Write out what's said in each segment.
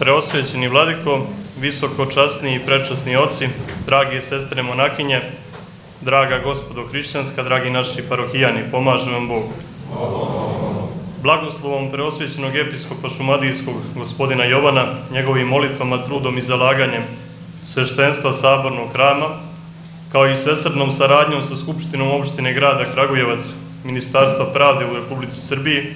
Preosvećeni vladiko, visoko časni i prečasni oci, dragi sestre monahinje, draga gospodo hrišćanska, dragi naši parohijani, pomaže vam Bog. Blagoslovom preosvećenog episkopa šumadijskog gospodina Jovana, njegovim molitvama, trudom i zalaganjem sveštenstva Sabornog hrama, kao i svesrdnom saradnjom sa Skupštinom opštine grada Kragujevac, Ministarstva pravde u Republici Srbiji,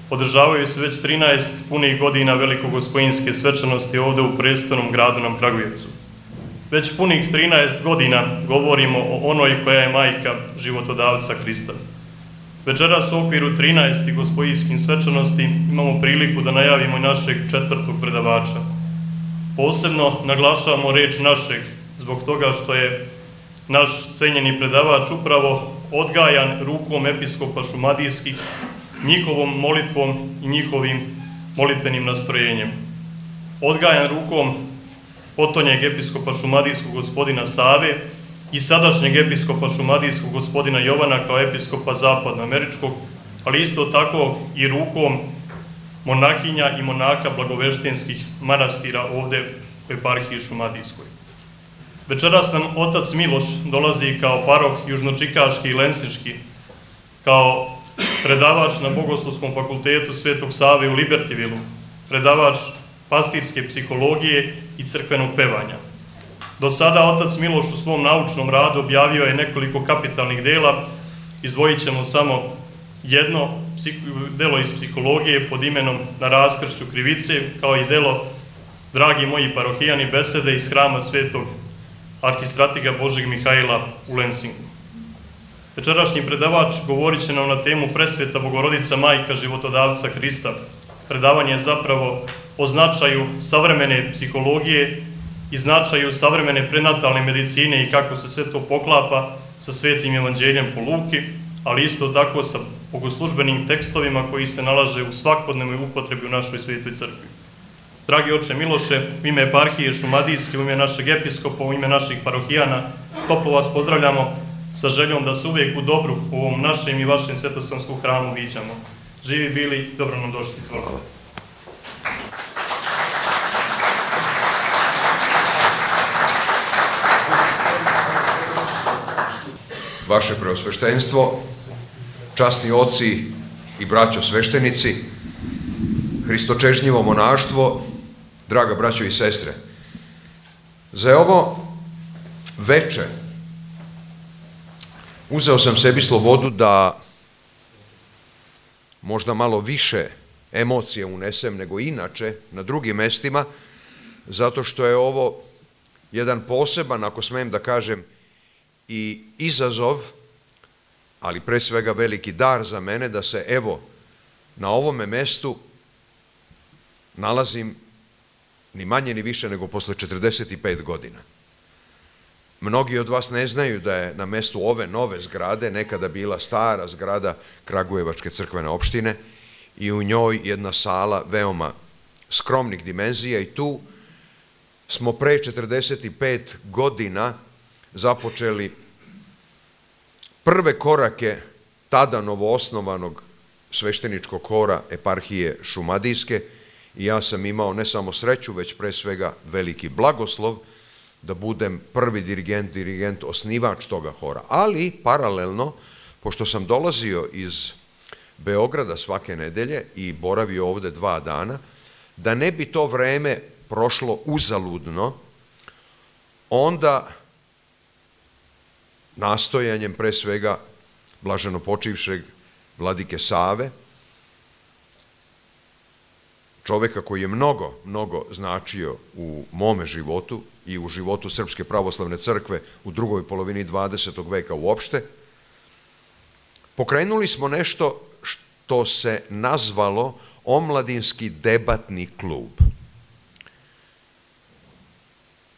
održavaju se već 13 punih godina velikogospojinske svečanosti ovde u prestolnom gradu nam Kragujevcu. Već punih 13 godina govorimo o onoj koja je majka životodavca Hrista. Večeras u okviru 13. gospojinskih svečanosti imamo priliku da najavimo i našeg četvrtog predavača. Posebno naglašavamo reč našeg zbog toga što je naš cenjeni predavač upravo odgajan rukom episkopa šumadijskih, njihovom molitvom i njihovim molitvenim nastrojenjem. Odgajan rukom potonjeg episkopa šumadijskog gospodina Save i sadašnjeg episkopa šumadijskog gospodina Jovana kao episkopa zapadnoameričkog, ali isto tako i rukom monahinja i monaka blagoveštenskih manastira ovde u eparhiji šumadijskoj. Večeras nam otac Miloš dolazi kao paroh južnočikaški i lensinški, kao predavač na Bogoslovskom fakultetu Svetog Save u Libertivilu, predavač pastirske psihologije i crkvenog pevanja. Do sada otac Miloš u svom naučnom radu objavio je nekoliko kapitalnih dela, izdvojit ćemo samo jedno delo iz psihologije pod imenom Na raskršću krivice, kao i delo Dragi moji parohijani, besede iz hrama Svetog arhistratiga Božeg Mihajla u Lensingu. Večerašnji predavač govorit će nam na temu Presveta Bogorodica Majka životodavca Hrista. Predavanje je zapravo o značaju savremene psihologije i značaju savremene prenatalne medicine i kako se sve to poklapa sa Svetim evanđeljem po Luki, ali isto tako sa bogoslužbenim tekstovima koji se nalaze u svakodnevnoj upotrebi u našoj Svetoj crkvi. Dragi oče Miloše, u ime eparhije šumadijske, u ime našeg episkopa, u ime naših parohijana, toplo vas pozdravljamo sa željom da se uvijek u dobru u ovom našem i vašem svetosavskom hramu viđamo. Živi bili, dobro nam došli. Hvala. Vaše preosveštenstvo, časni oci i braćo sveštenici, hristočežnjivo monaštvo, draga braćo i sestre, za ovo veče uzeo sam sebi slobodu da možda malo više emocije unesem nego inače na drugim mestima, zato što je ovo jedan poseban, ako smem da kažem, i izazov, ali pre svega veliki dar za mene da se evo na ovome mestu nalazim ni manje ni više nego posle 45 godina. Mnogi od vas ne znaju da je na mestu ove nove zgrade nekada bila stara zgrada Kragujevačke crkvene opštine i u njoj jedna sala veoma skromnih dimenzija i tu smo pre 45 godina započeli prve korake tada novoosnovanog svešteničkog hora eparhije šumadijske i ja sam imao ne samo sreću, već pre svega veliki blagoslov da budem prvi dirigent, osnivač toga hora. Ali, paralelno, pošto sam dolazio iz Beograda svake nedelje i boravio ovde 2 dana, da ne bi to vreme prošlo uzaludno, onda nastojanjem pre svega blaženo počivšeg vladike Save, čoveka koji je mnogo značio u mome životu i u životu Srpske pravoslavne crkve u drugoj polovini 20. veka uopšte, pokrenuli smo nešto što se nazvalo Omladinski debatni klub.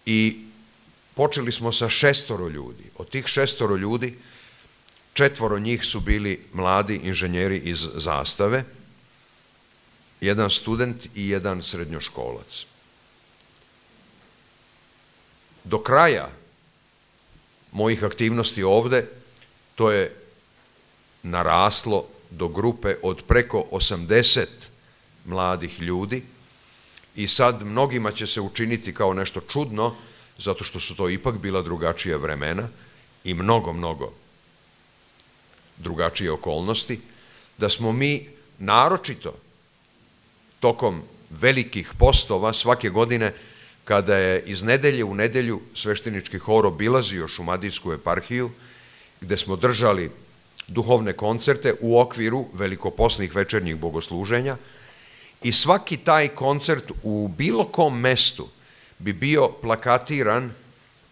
I počeli smo sa 6 ljudi. Od tih 6 ljudi, 4 njih su bili mladi inženjeri iz Zastave, 1 student i 1 srednjoškolac. Do kraja mojih aktivnosti ovde to je naraslo do grupe od preko 80 mladih ljudi i sad mnogima će se učiniti kao nešto čudno, zato što su to ipak bila drugačija vremena i mnogo drugačije okolnosti, da smo mi naročito tokom velikih postova svake godine, kada je iz nedelje u nedelju sveštenički hor obilazio Šumadijsku eparhiju, gde smo držali duhovne koncerte u okviru velikoposnih večernjih bogosluženja, i svaki taj koncert u bilo kom mestu bi bio plakatiran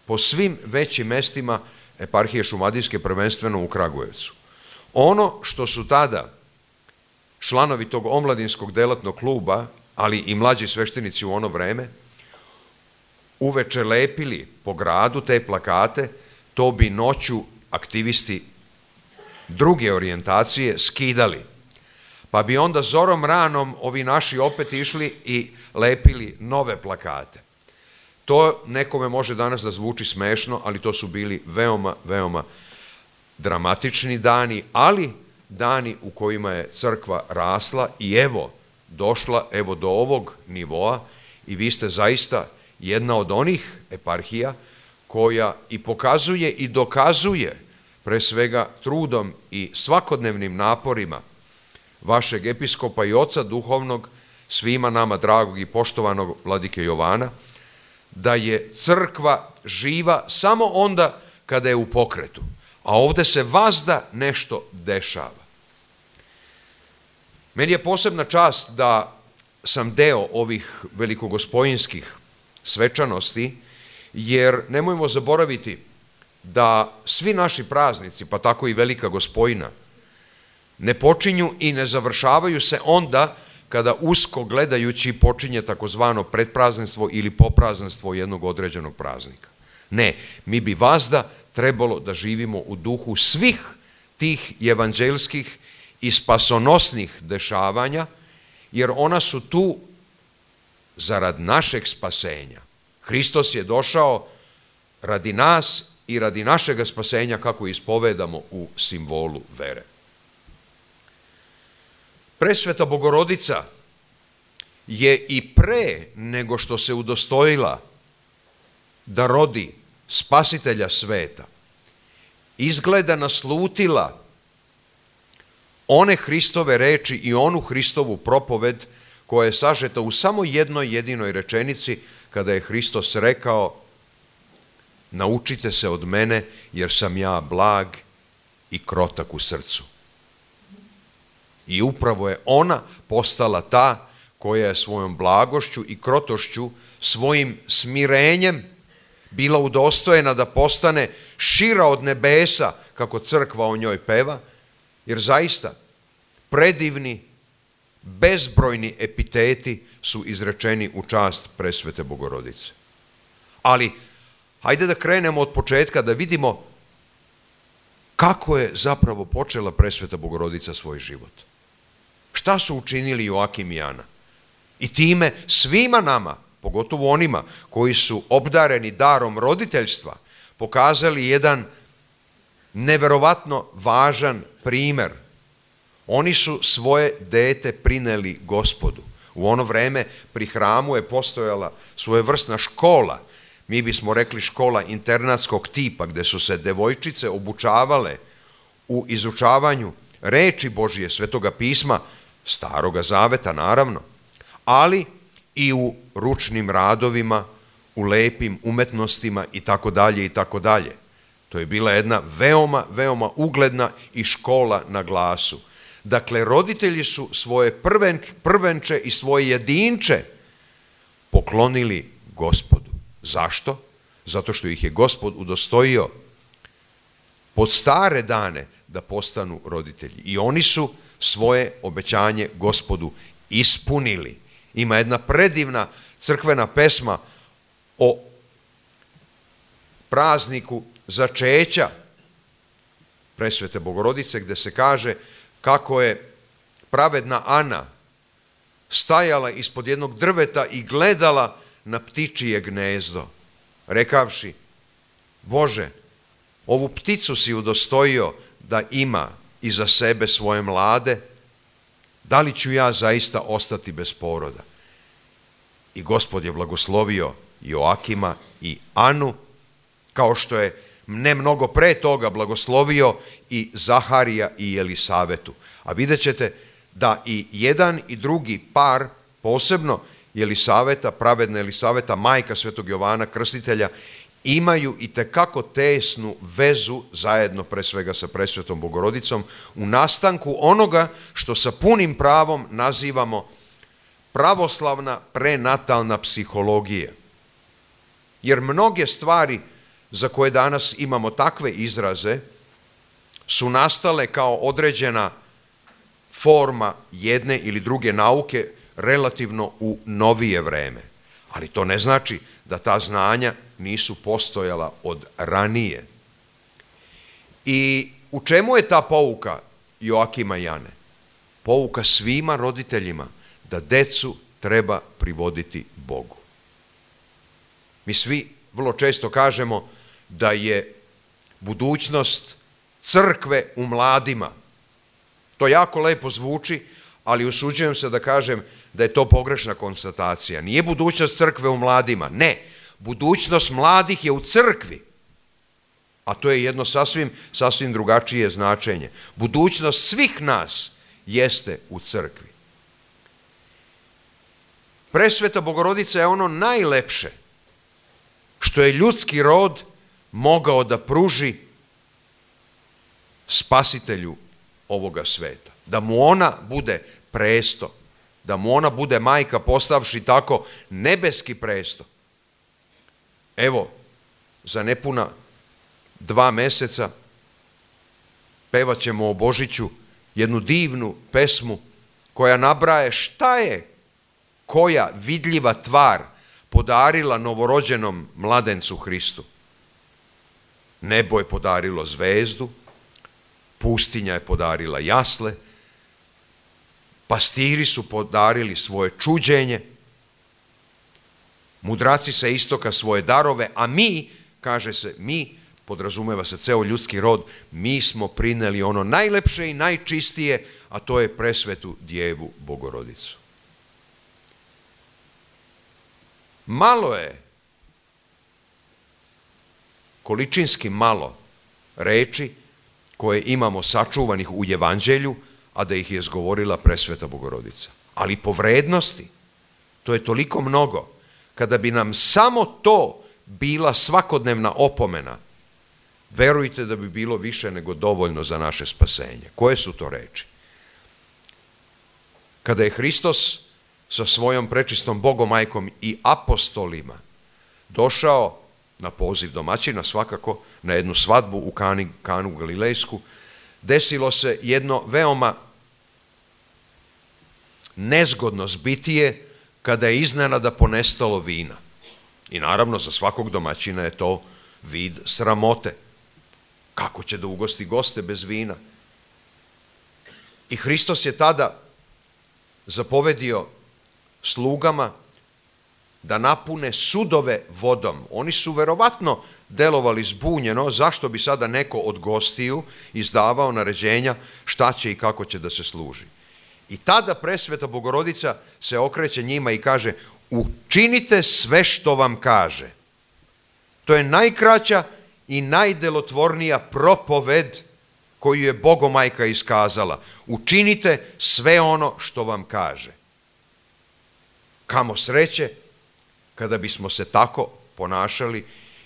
po svim većim mestima eparhije Šumadijske, prvenstveno u Kragujevcu. Ono što su tada članovi tog omladinskog delatnog kluba, ali i mlađi sveštenici u ono vreme, uveče lepili po gradu te plakate, to bi noću aktivisti druge orijentacije skidali. Pa bi onda zorom ranom ovi naši opet išli i lepili nove plakate. To nekome može danas da zvuči smešno, ali to su bili veoma dramatični dani, ali dani u kojima je crkva rasla i evo došla do ovog nivoa, i vi ste zaista jedna od onih eparhija koja i pokazuje i dokazuje, pre svega trudom i svakodnevnim naporima vašeg episkopa i oca duhovnog, svima nama dragog i poštovanog vladike Jovana, da je crkva živa samo onda kada je u pokretu, a ovde se vazda nešto dešava. Meni je posebna čast da sam deo ovih velikogospojinskih svečanosti, jer nemojmo zaboraviti da svi naši praznici, pa tako i Velika Gospojina, ne počinju i ne završavaju se onda kada usko gledajući počinje takozvano predprazništvo ili poprazništvo jednog određenog praznika. Ne, mi bi vazda trebalo da živimo u duhu svih tih evanđelskih i spasonosnih dešavanja, jer ona su tu zarad našeg spasenja. Hristos je došao radi nas i radi našega spasenja, kako ispovedamo u simbolu vere. Presveta Bogorodica je i pre nego što se udostojila da rodi Spasitelja sveta, izgleda naslutila one Hristove reči i onu Hristovu propoved koja je sažeta u samo jednoj jedinoj rečenici, kada je Hristos rekao: naučite se od mene, jer sam ja blag i krotak u srcu. I upravo je ona postala ta koja je svojom blagošću i krotošću, svojim smirenjem bila udostojena da postane šira od nebesa, kako crkva o njoj peva, jer zaista predivni, bezbrojni epiteti su izrečeni u čast presvete Bogorodice. Ali hajde da krenemo od početka, da vidimo kako je zapravo počela presveta Bogorodica svoj život. Šta su učinili Joakim i Ana? I time svima nama, pogotovo onima koji su obdareni darom roditeljstva, pokazali jedan neverovatno važan primer. Oni su svoje dete prineli Gospodu. U ono vreme pri hramu je postojala svojevrsna škola, mi bismo rekli škola internatskog tipa, gde su se devojčice obučavale u izučavanju reči Božije, Svetoga pisma, Staroga zaveta naravno, ali i u ručnim radovima, u lepim umetnostima i tako dalje i tako dalje. To je bila jedna veoma ugledna i škola na glasu. Dakle, roditelji su svoje prvenče i svoje jedinče poklonili Gospodu. Zašto? Zato što ih je Gospod udostojio pod stare dane da postanu roditelji. I oni su svoje obećanje Gospodu ispunili. Ima jedna predivna crkvena pesma o prazniku začeća presvete Bogorodice, gde se kaže kako je pravedna Ana stajala ispod jednog drveta i gledala na ptičije gnezdo, rekavši: Bože, ovu pticu si udostojio da ima iza sebe svoje mlade, da li ću ja zaista ostati bez poroda? i Gospod je blagoslovio Joakima i Anu, kao što je ne mnogo pre toga blagoslovio i Zaharija i Jelisavetu. A vidjet ćete da i jedan i drugi par, posebno Jelisaveta, pravedna Jelisaveta, majka svetog Jovana Krstitelja, imaju i tekako tesnu vezu zajedno pre svega sa presvetom Bogorodicom u nastanku onoga što sa punim pravom nazivamo pravoslavna prenatalna psihologija. Jer mnoge stvari za koje danas imamo takve izraze su nastale kao određena forma jedne ili druge nauke relativno u novije vreme. Ali to ne znači da ta znanja nisu postojala od ranije. I u čemu je ta pouka Joakima i Ane? Pouka svima roditeljima da decu treba privoditi Bogu. Mi svi vrlo često kažemo da je budućnost crkve u mladima. To jako lepo zvuči, ali usuđujem se da kažem da je to pogrešna konstatacija. Nije budućnost crkve u mladima, ne. Budućnost mladih je u crkvi, a to je jedno sasvim drugačije značenje. Budućnost svih nas jeste u crkvi. Presveta Bogorodica je ono najlepše što je ljudski rod mogao da pruži spasitelju ovoga sveta. Da mu ona bude presto, da mu ona bude majka postavši tako nebeski presto. Evo, za nepuna 2 meseca pevat ćemo o Božiću jednu divnu pesmu koja nabraje šta je koja vidljiva tvar podarila novorođenom mladencu Hristu. Nebo je podarilo zvezdu, pustinja je podarila jasle, pastiri su podarili svoje čuđenje, mudraci sa istoka svoje darove, a mi, kaže se, mi, podrazumeva se ceo ljudski rod, mi smo prineli ono najlepše i najčistije, a to je presvetu Djevu Bogorodicu. Malo je, količinski malo reči koje imamo sačuvanih u Evanđelju, a da ih je izgovorila presveta Bogorodica. Ali po vrednosti, to je toliko mnogo. Kada bi nam samo to bila svakodnevna opomena, verujte da bi bilo više nego dovoljno za naše spasenje. Koje su to reči? Kada je Hristos sa svojom prečistom Bogomajkom i apostolima došao na poziv domaćina, svakako na jednu svadbu u Kanu Galilejsku, desilo se jedno veoma nezgodno zbitije kada je iznenada ponestalo vina. I naravno za svakog domaćina je to vid sramote. Kako će da ugosti goste bez vina? I Hristos je tada zapovedio slugama da napune sudove vodom. Oni su verovatno delovali zbunjeno, zašto bi sada neko od gostiju izdavao naređenja šta će i kako će da se služi. I tada presveta Bogorodica se okreće njima i kaže: učinite sve što vam kaže. To je najkraća i najdelotvornija propoved koju je Bogomajka iskazala. Učinite sve ono što vam kaže. Kamo sreće kada bismo se tako ponašali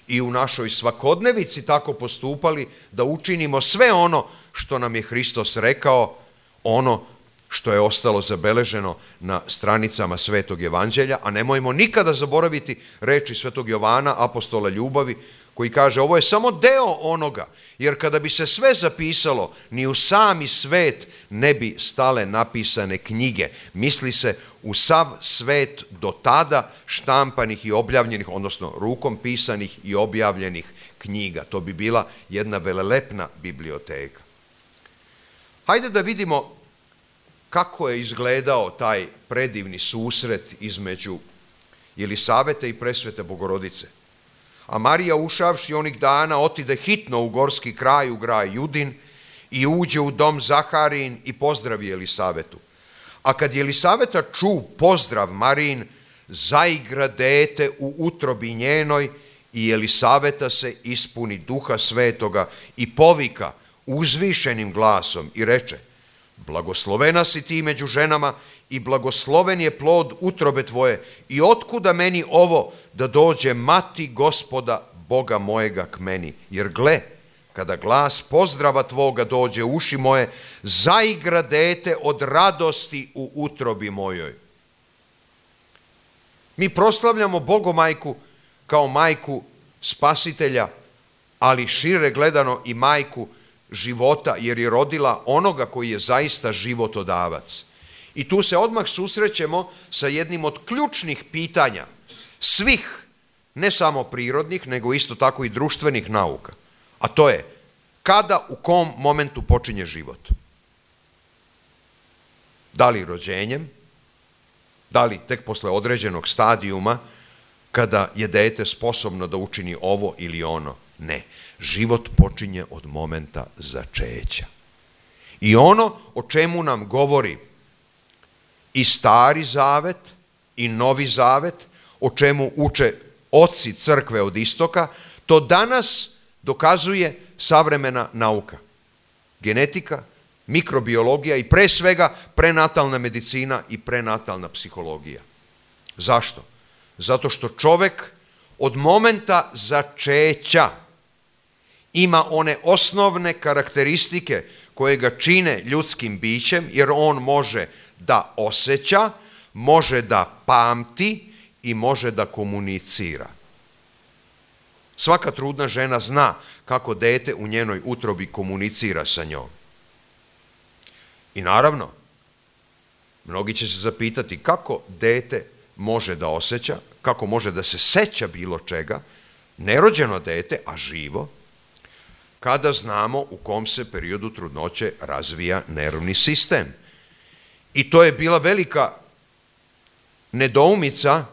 i u našoj svakodnevici tako postupali, da učinimo sve ono što nam je Hristos rekao, ono što je ostalo zabeleženo na stranicama Svetog Evanđelja, a nemojmo nikada zaboraviti reči Svetog Jovana, apostola ljubavi, koji kaže: ovo je samo deo onoga, jer kada bi se sve zapisalo, ni u sami svet ne bi stale napisane knjige. Misli se u sav svet do tada štampanih i objavljenih, odnosno rukom pisanih i objavljenih knjiga. To bi bila jedna velelepna biblioteka. Hajde da vidimo kako je izgledao taj predivni susret između Jelisavete i presvete Bogorodice. A Marija, ušavši onih dana, otide hitno u gorski kraj, u grad Judin, i uđe u dom Zaharijin i pozdravi Jelisavetu. A kad Jelisaveta ču pozdrav Marijin, zaigra dete u utrobi njenoj i Elisaveta se ispuni Duha Svetoga i povika uzvišenim glasom i reče: blagoslovena si ti među ženama i blagosloven je plod utrobe tvoje, i otkuda meni ovo da dođe mati Gospoda Boga mojega k meni, jer gle, kada glas pozdrava tvoga dođe u uši moje, zaigra dete od radosti u utrobi mojoj. Mi proslavljamo Bogomajku kao majku spasitelja, ali šire gledano i majku života, jer je rodila onoga koji je zaista životodavac. I tu se odmah susrećemo sa jednim od ključnih pitanja svih, ne samo prirodnih, nego isto tako i društvenih nauka. A to je, kada, u kom momentu počinje život? Da li rođenjem? Da li tek posle određenog stadijuma, kada je dete sposobno da učini ovo ili ono? Ne. Život počinje od momenta začeća. I ono o čemu nam govori i Stari Zavet i Novi Zavet, o čemu uče oci crkve od istoka, to danas dokazuje savremena nauka. Genetika, mikrobiologija i pre svega prenatalna medicina i prenatalna psihologija. Zašto? Zato što čovek od momenta začeća ima one osnovne karakteristike koje ga čine ljudskim bićem, jer on može da osjeća, može da pamti i može da komunicira. Svaka trudna žena zna kako dete u njenoj utrobi komunicira sa njom. I naravno, mnogi će se zapitati kako dete može da osjeća, kako može da se seća bilo čega, nerođeno dete, a živo, kada znamo u kom se periodu trudnoće razvija nervni sistem. I to je bila velika nedoumica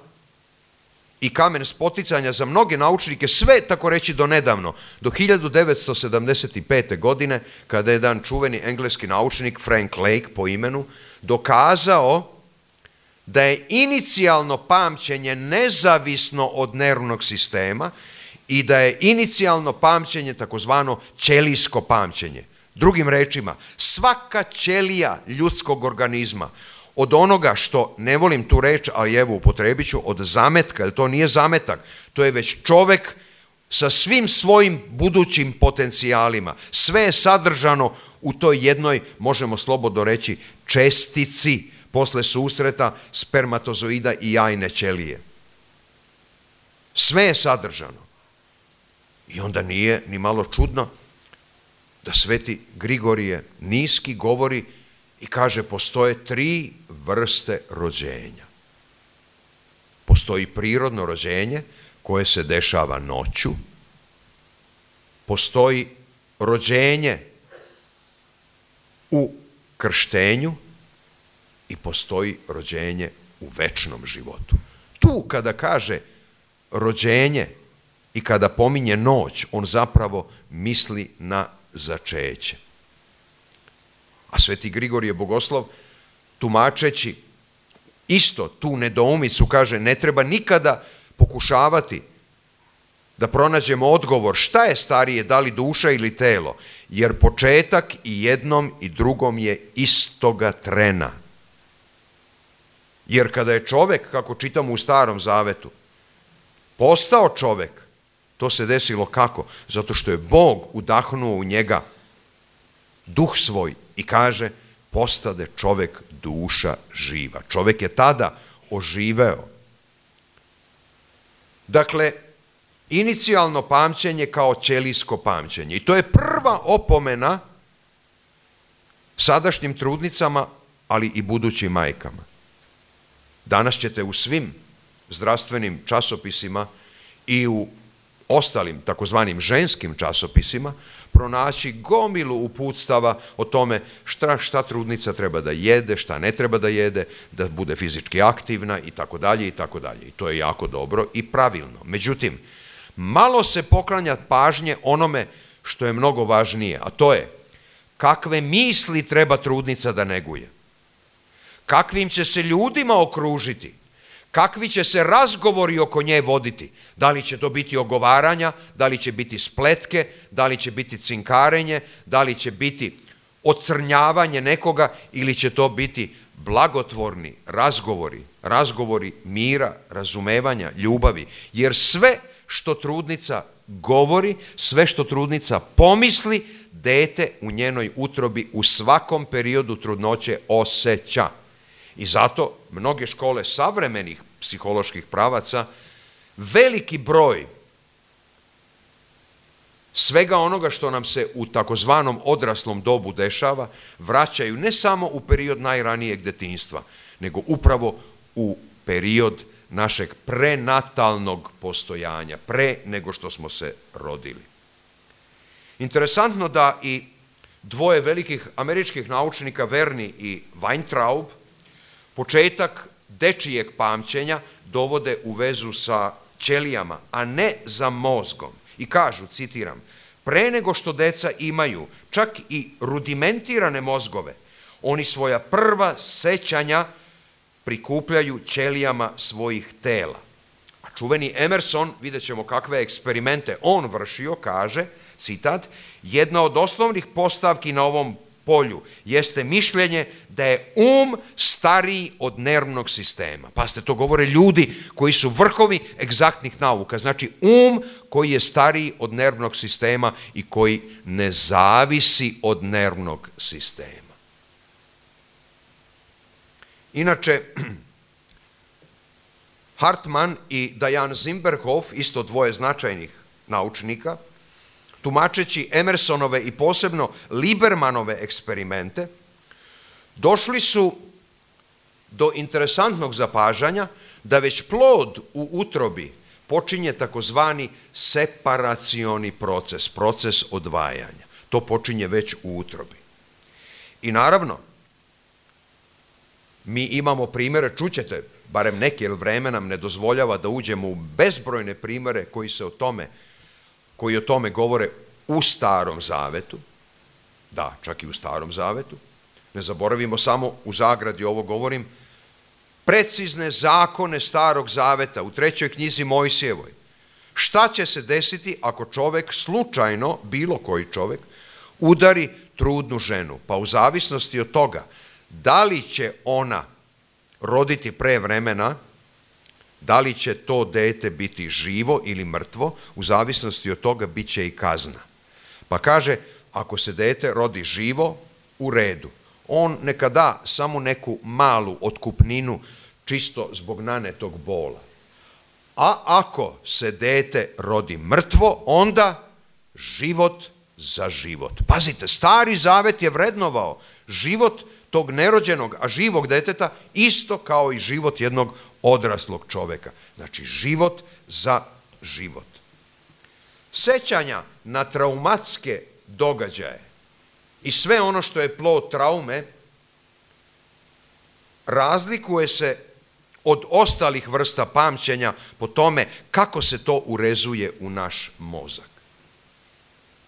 i kamen spoticanja za mnoge naučnike, sve tako reći do nedavno, do 1975. godine, kada je jedan čuveni engleski naučnik, Frank Lake po imenu, dokazao da je inicijalno pamćenje nezavisno od nervnog sistema i da je inicijalno pamćenje takozvano ćelijsko pamćenje. Drugim rečima, svaka ćelija ljudskog organizma, od onoga što, ne volim tu reč, ali evo upotrebit ću, od zametka, jer to nije zametak, to je već čovek sa svim svojim budućim potencijalima. Sve je sadržano u toj jednoj, možemo slobodno reći, čestici posle susreta spermatozoida i jajne ćelije. Sve je sadržano. I onda nije ni malo čudno da sveti Grigorije Niski govori i kaže: postoje 3 vrste rođenja. Postoji prirodno rođenje koje se dešava noću, postoji rođenje u krštenju i postoji rođenje u večnom životu. Tu kada kaže rođenje i kada pominje noć, on zapravo misli na začeće. A sveti Grigorije Bogoslov, tumačeći isto tu nedoumicu, kaže: ne treba nikada pokušavati da pronađemo odgovor šta je starije, da li duša ili telo, jer početak i jednom i drugom je istoga trena. Jer kada je čovek, kako čitamo u Starom Zavetu, postao čovek, to se desilo kako? Zato što je Bog udahnuo u njega duh svoj i kaže: postade čovek duša živa. Čovek je tada oživeo. Dakle, inicijalno pamćenje kao ćelijsko pamćenje. I to je prva opomena sadašnjim trudnicama, ali i budućim majkama. Danas ćete u svim zdravstvenim časopisima i u ostalim takozvanim ženskim časopisima pronaći gomilu uputstava o tome šta trudnica treba da jede, šta ne treba da jede, da bude fizički aktivna i tako dalje i tako dalje. I to je jako dobro i pravilno. Međutim, malo se poklanja pažnje onome što je mnogo važnije, a to je kakve misli treba trudnica da neguje, kakvim će se ljudima okružiti, kakvi će se razgovori oko nje voditi. Da li će to biti ogovaranja, da li će biti spletke, da li će biti cinkarenje, da li će biti ocrnjavanje nekoga ili će to biti blagotvorni razgovori, razgovori mira, razumevanja, ljubavi. Jer sve što trudnica govori, sve što trudnica pomisli, dete u njenoj utrobi u svakom periodu trudnoće osjeća. I zato mnoge škole savremenih psiholoških pravaca veliki broj svega onoga što nam se u takozvanom odraslom dobu dešava vraćaju ne samo u period najranijeg detinjstva, nego upravo u period našeg prenatalnog postojanja, pre nego što smo se rodili. Interesantno da i dvoje velikih američkih naučnika, Verni i Weintraub, početak dečijeg pamćenja dovode u vezu sa ćelijama, a ne za mozgom. I kažu, citiram, pre nego što deca imaju čak i rudimentirane mozgove, oni svoja prva sećanja prikupljaju ćelijama svojih tela. A čuveni Emerson, vidjet ćemo kakve eksperimente on vršio, kaže, citat, jedna od osnovnih postavki na ovom polju jeste mišljenje da je stariji od nervnog sistema. Pazite, to govore ljudi koji su vrhovi egzaktnih nauka. Znači, koji je stariji od nervnog sistema i koji ne zavisi od nervnog sistema. Inače, Hartman i Diane Zimberhoff, isto dvoje značajnih naučnika, tumačeći Emersonove i posebno Libermanove eksperimente, došli su do interesantnog zapažanja da već plod u utrobi počinje takozvani separacioni proces, proces odvajanja. To počinje već u utrobi. I naravno, mi imamo primjere, čućete, barem neki, jer vreme nam ne dozvoljava da uđemo u bezbrojne primjere koji o tome govore u Starom Zavetu, da, čak i u Starom Zavetu, ne zaboravimo samo, u zagradi ovo govorim, precizne zakone Starog Zaveta u 3. knjizi Mojsijevoj. Šta će se desiti ako čovek slučajno, bilo koji čovek, udari trudnu ženu? Pa u zavisnosti od toga, da li će ona roditi pre vremena, da li će to dete biti živo ili mrtvo, u zavisnosti od toga bit će i kazna. Pa kaže, ako se dete rodi živo, u redu. On neka da samo neku malu otkupninu čisto zbog nanetog bola. A ako se dete rodi mrtvo, onda život za život. Pazite, Stari Zavet je vrednovao život tog nerođenog, a živog deteta isto kao i život jednog odraslog čoveka. Znači, život za život. Sećanja na traumatske događaje i sve ono što je plod traume razlikuje se od ostalih vrsta pamćenja po tome kako se to urezuje u naš mozak.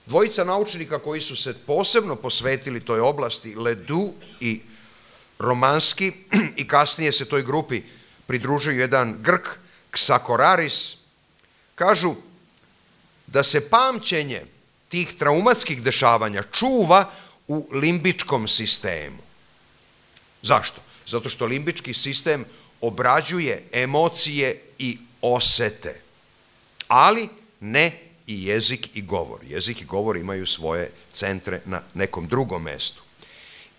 Dvojica naučnika koji su se posebno posvetili toj oblasti, Ledoux i Romanski, i kasnije se toj grupi pridružio jedan Grk, Ksakoraris, kažu da se pamćenje tih traumatskih dešavanja čuva u limbičkom sistemu. Zašto? Zato što limbički sistem obrađuje emocije i osete, ali ne i jezik i govor. Jezik i govor imaju svoje centre na nekom drugom mestu.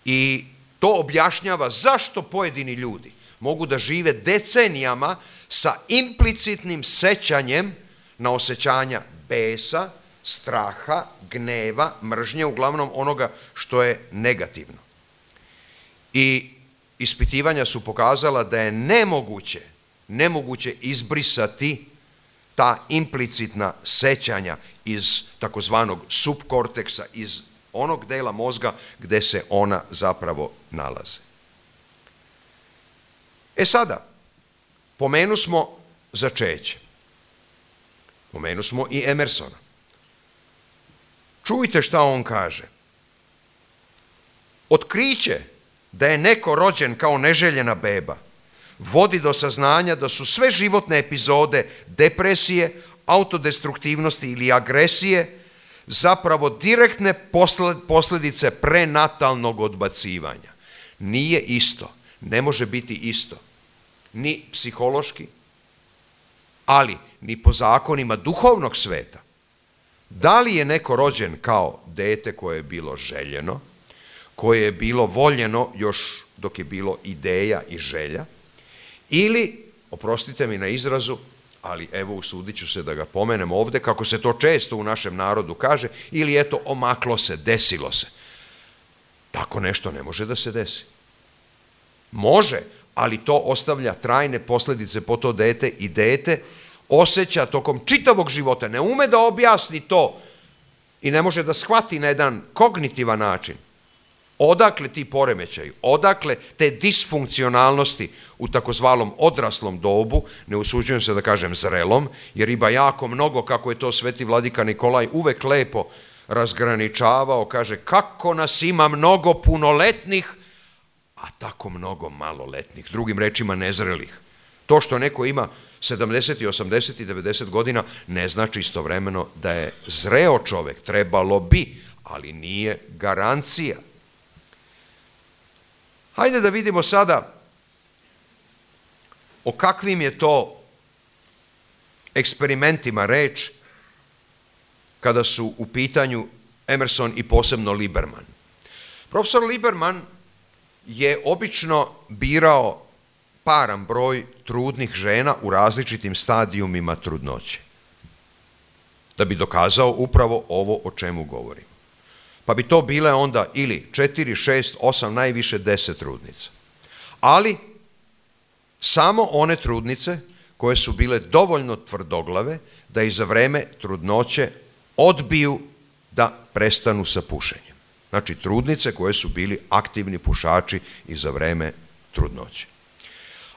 I to objašnjava zašto pojedini ljudi mogu da žive decenijama sa implicitnim sećanjem na osjećanja besa, straha, gneva, mržnje, uglavnom onoga što je negativno. I ispitivanja su pokazala da je nemoguće izbrisati ta implicitna sećanja iz takozvanog subkorteksa, iz onog dela mozga gde se ona zapravo nalaze. E sada, pomenu smo začeće. Pomenu smo i Emersona. Čujte šta on kaže. Otkriće da je neko rođen kao neželjena beba vodi do saznanja da su sve životne epizode depresije, autodestruktivnosti ili agresije zapravo direktne posljedice prenatalnog odbacivanja. Nije isto, ne može biti isto, ni psihološki, ali ni po zakonima duhovnog sveta. Da li je neko rođen kao dete koje je bilo željeno, koje je bilo voljeno još dok je bilo ideja i želja, ili, oprostite mi na izrazu, ali evo usudit ću se da ga pomenem ovdje, kako se to često u našem narodu kaže, ili eto omaklo se, desilo se. Tako nešto ne može da se desi. Može, ali to ostavlja trajne posljedice po to dete i dete osjeća tokom čitavog života, ne ume da objasni to i ne može da shvati na jedan kognitivan način. Odakle ti poremećaji, odakle te disfunkcionalnosti u takozvanom odraslom dobu, ne usuđujem se da kažem zrelom, jer ima jako mnogo, kako je to sveti vladika Nikolaj uvek lepo razgraničavao, kaže kako nas ima mnogo punoletnih, a tako mnogo maloletnih, drugim rečima nezrelih. To što neko ima 70, 80 i 90 godina ne znači istovremeno da je zreo čovek, trebalo bi, ali nije garancija. Hajde da vidimo sada o kakvim je to eksperimentima reč kada su u pitanju Emerson i posebno Lieberman. Profesor Lieberman je obično birao paran broj trudnih žena u različitim stadijumima trudnoće, da bi dokazao upravo ovo o čemu govorim. Pa bi to bile onda ili 4, 6, 8, najviše 10 trudnica. Ali samo one trudnice koje su bile dovoljno tvrdoglave da i za vreme trudnoće odbiju da prestanu sa pušenjem. Znači trudnice koje su bili aktivni pušači i za vreme trudnoće.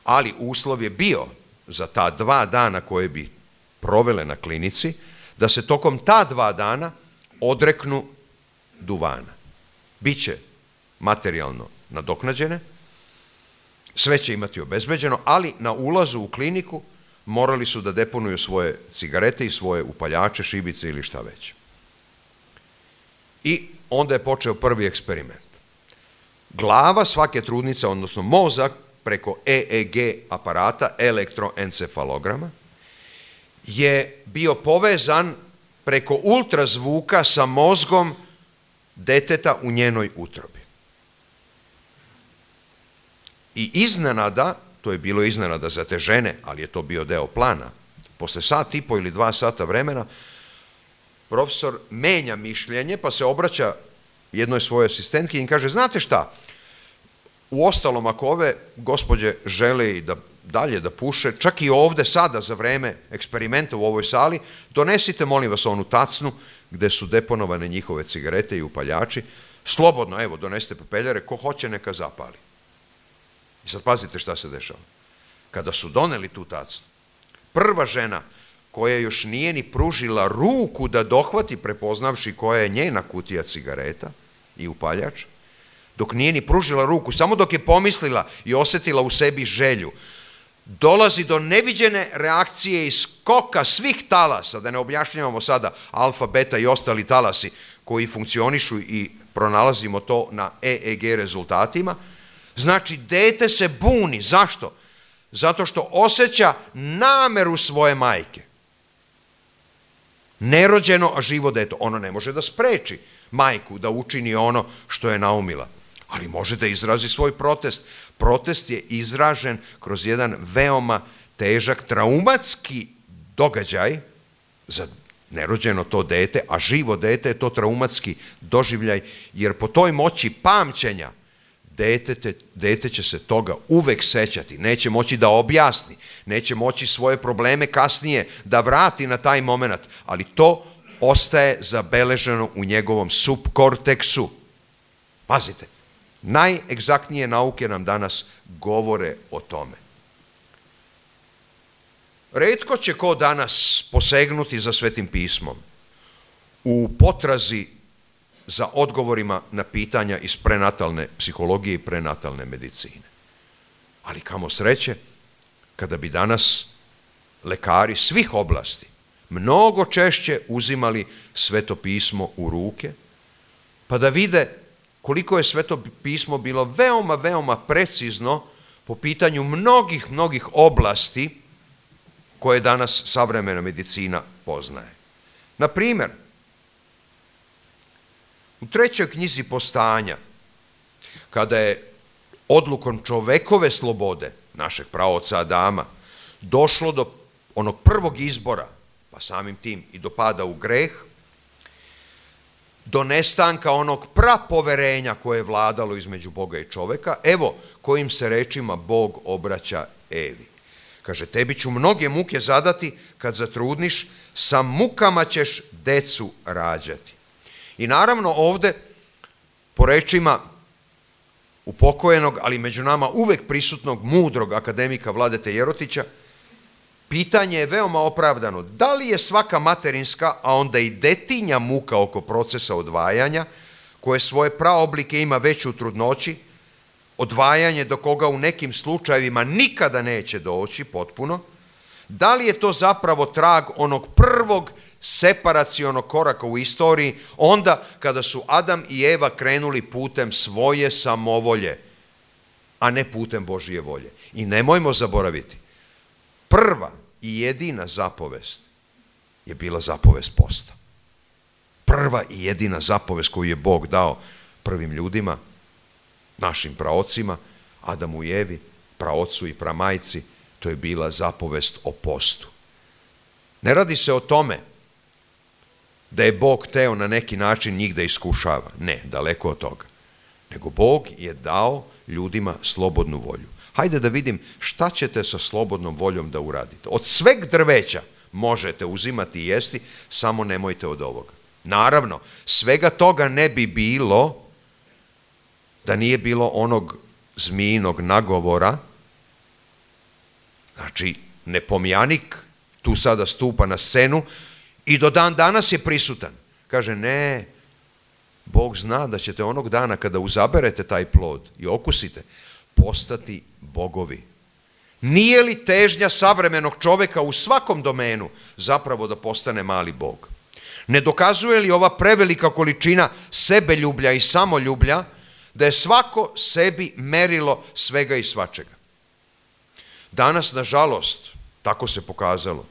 Ali uslov je bio za ta 2 dana koje bi provele na klinici, da se tokom ta 2 dana odreknu duvana. Biće materijalno nadoknađene, sve će imati obezbeđeno, ali na ulazu u kliniku morali su da deponuju svoje cigarete i svoje upaljače, šibice ili šta već. I onda je počeo prvi eksperiment. Glava svake trudnice, odnosno mozak, preko EEG aparata, elektroencefalograma, je bio povezan preko ultrazvuka sa mozgom deteta u njenoj utrobi. I iznenada, to je bilo iznenada za te žene, ali je to bio deo plana, posle 1,5 ili 2 sata vremena, profesor menja mišljenje, pa se obraća jednoj svojoj asistentki i kaže, znate šta, u ostalom, ako ove gospođe žele i da dalje da puše, čak i ovde sada za vreme eksperimenta u ovoj sali, donesite, molim vas, onu tacnu gde su deponovane njihove cigarete i upaljači, slobodno, evo, donesite pepeljare, ko hoće neka zapali. I sad pazite šta se dešava. Kada su doneli tu tacnu, prva žena koja još nije ni pružila ruku da dohvati, prepoznavši koja je njena kutija cigareta i upaljač, dok nije ni pružila ruku, samo dok je pomislila i osjetila u sebi želju, dolazi do neviđene reakcije i skoka svih talasa, da ne objašnjavamo sada alfa, beta i ostali talasi koji funkcionišu i pronalazimo to na EEG rezultatima. Znači, dete se buni. Zašto? Zato što osjeća nameru svoje majke. Nerođeno, a živo dete. Ono ne može da spreči majku da učini ono što je naumila, ali može da izrazi svoj protest. Protest je izražen kroz jedan veoma težak traumatski događaj za nerođeno to dete, a živo dete je to traumatski doživljaj, jer po toj moći pamćenja dete će se toga uvek sećati, neće moći da objasni, neće moći svoje probleme kasnije da vrati na taj moment, ali to ostaje zabeleženo u njegovom subkorteksu. Pazite, najegzaktnije nauke nam danas govore o tome. Retko će ko danas posegnuti za Svetim pismom u potrazi za odgovorima na pitanja iz prenatalne psihologije i prenatalne medicine. Ali kamo sreće, kada bi danas lekari svih oblasti mnogo češće uzimali Sveto pismo u ruke, pa da vide koliko je Sveto pismo bilo veoma, veoma precizno po pitanju mnogih oblasti koje danas savremena medicina poznaje. Na primjer, u 3. knjizi Postanja, kada je odlukom čovekove slobode, našeg praoca Adama, došlo do onog prvog izbora, pa samim tim i do pada u greh, do nestanka onog prapoverenja koje je vladalo između Boga i čoveka, evo kojim se rečima Bog obraća Evi. Kaže, tebi ću mnoge muke zadati kad zatrudniš, sa mukama ćeš decu rađati. I naravno ovde, po rečima upokojenog, ali među nama uvek prisutnog mudrog akademika Vladete Jerotića, pitanje je veoma opravdano. Da li je svaka materinska, a onda i detinja muka oko procesa odvajanja, koje svoje praoblike ima već u trudnoći, odvajanje do koga u nekim slučajevima nikada neće doći potpuno, da li je to zapravo trag onog prvog separacionog koraka u istoriji, onda kada su Adam i Eva krenuli putem svoje samovolje, a ne putem Božije volje. I nemojmo zaboraviti, prva i jedina zapovest je bila zapovest posta. Prva i jedina zapovest koju je Bog dao prvim ljudima, našim praocima, Adamu i Evi, praocu i pramajci, to je bila zapovest o postu. Ne radi se o tome da je Bog hteo na neki način njih da iskušava. Ne, daleko od toga. Nego Bog je dao ljudima slobodnu volju. Hajde da vidim šta ćete sa slobodnom voljom da uradite. Od sveg drveća možete uzimati i jesti, samo nemojte od ovoga. Naravno, svega toga ne bi bilo da nije bilo onog zmijinog nagovora. Znači, nepomjanik tu sada stupa na scenu i do dan danas je prisutan. Kaže, ne, Bog zna da ćete onog dana kada uzaberete taj plod i okusite, postati bogovi. Nije li težnja savremenog čoveka u svakom domenu zapravo da postane mali Bog? Ne dokazuje li ova prevelika količina sebeljublja i samoljublja da je svako sebi merilo svega i svačega? Danas, nažalost, tako se pokazalo,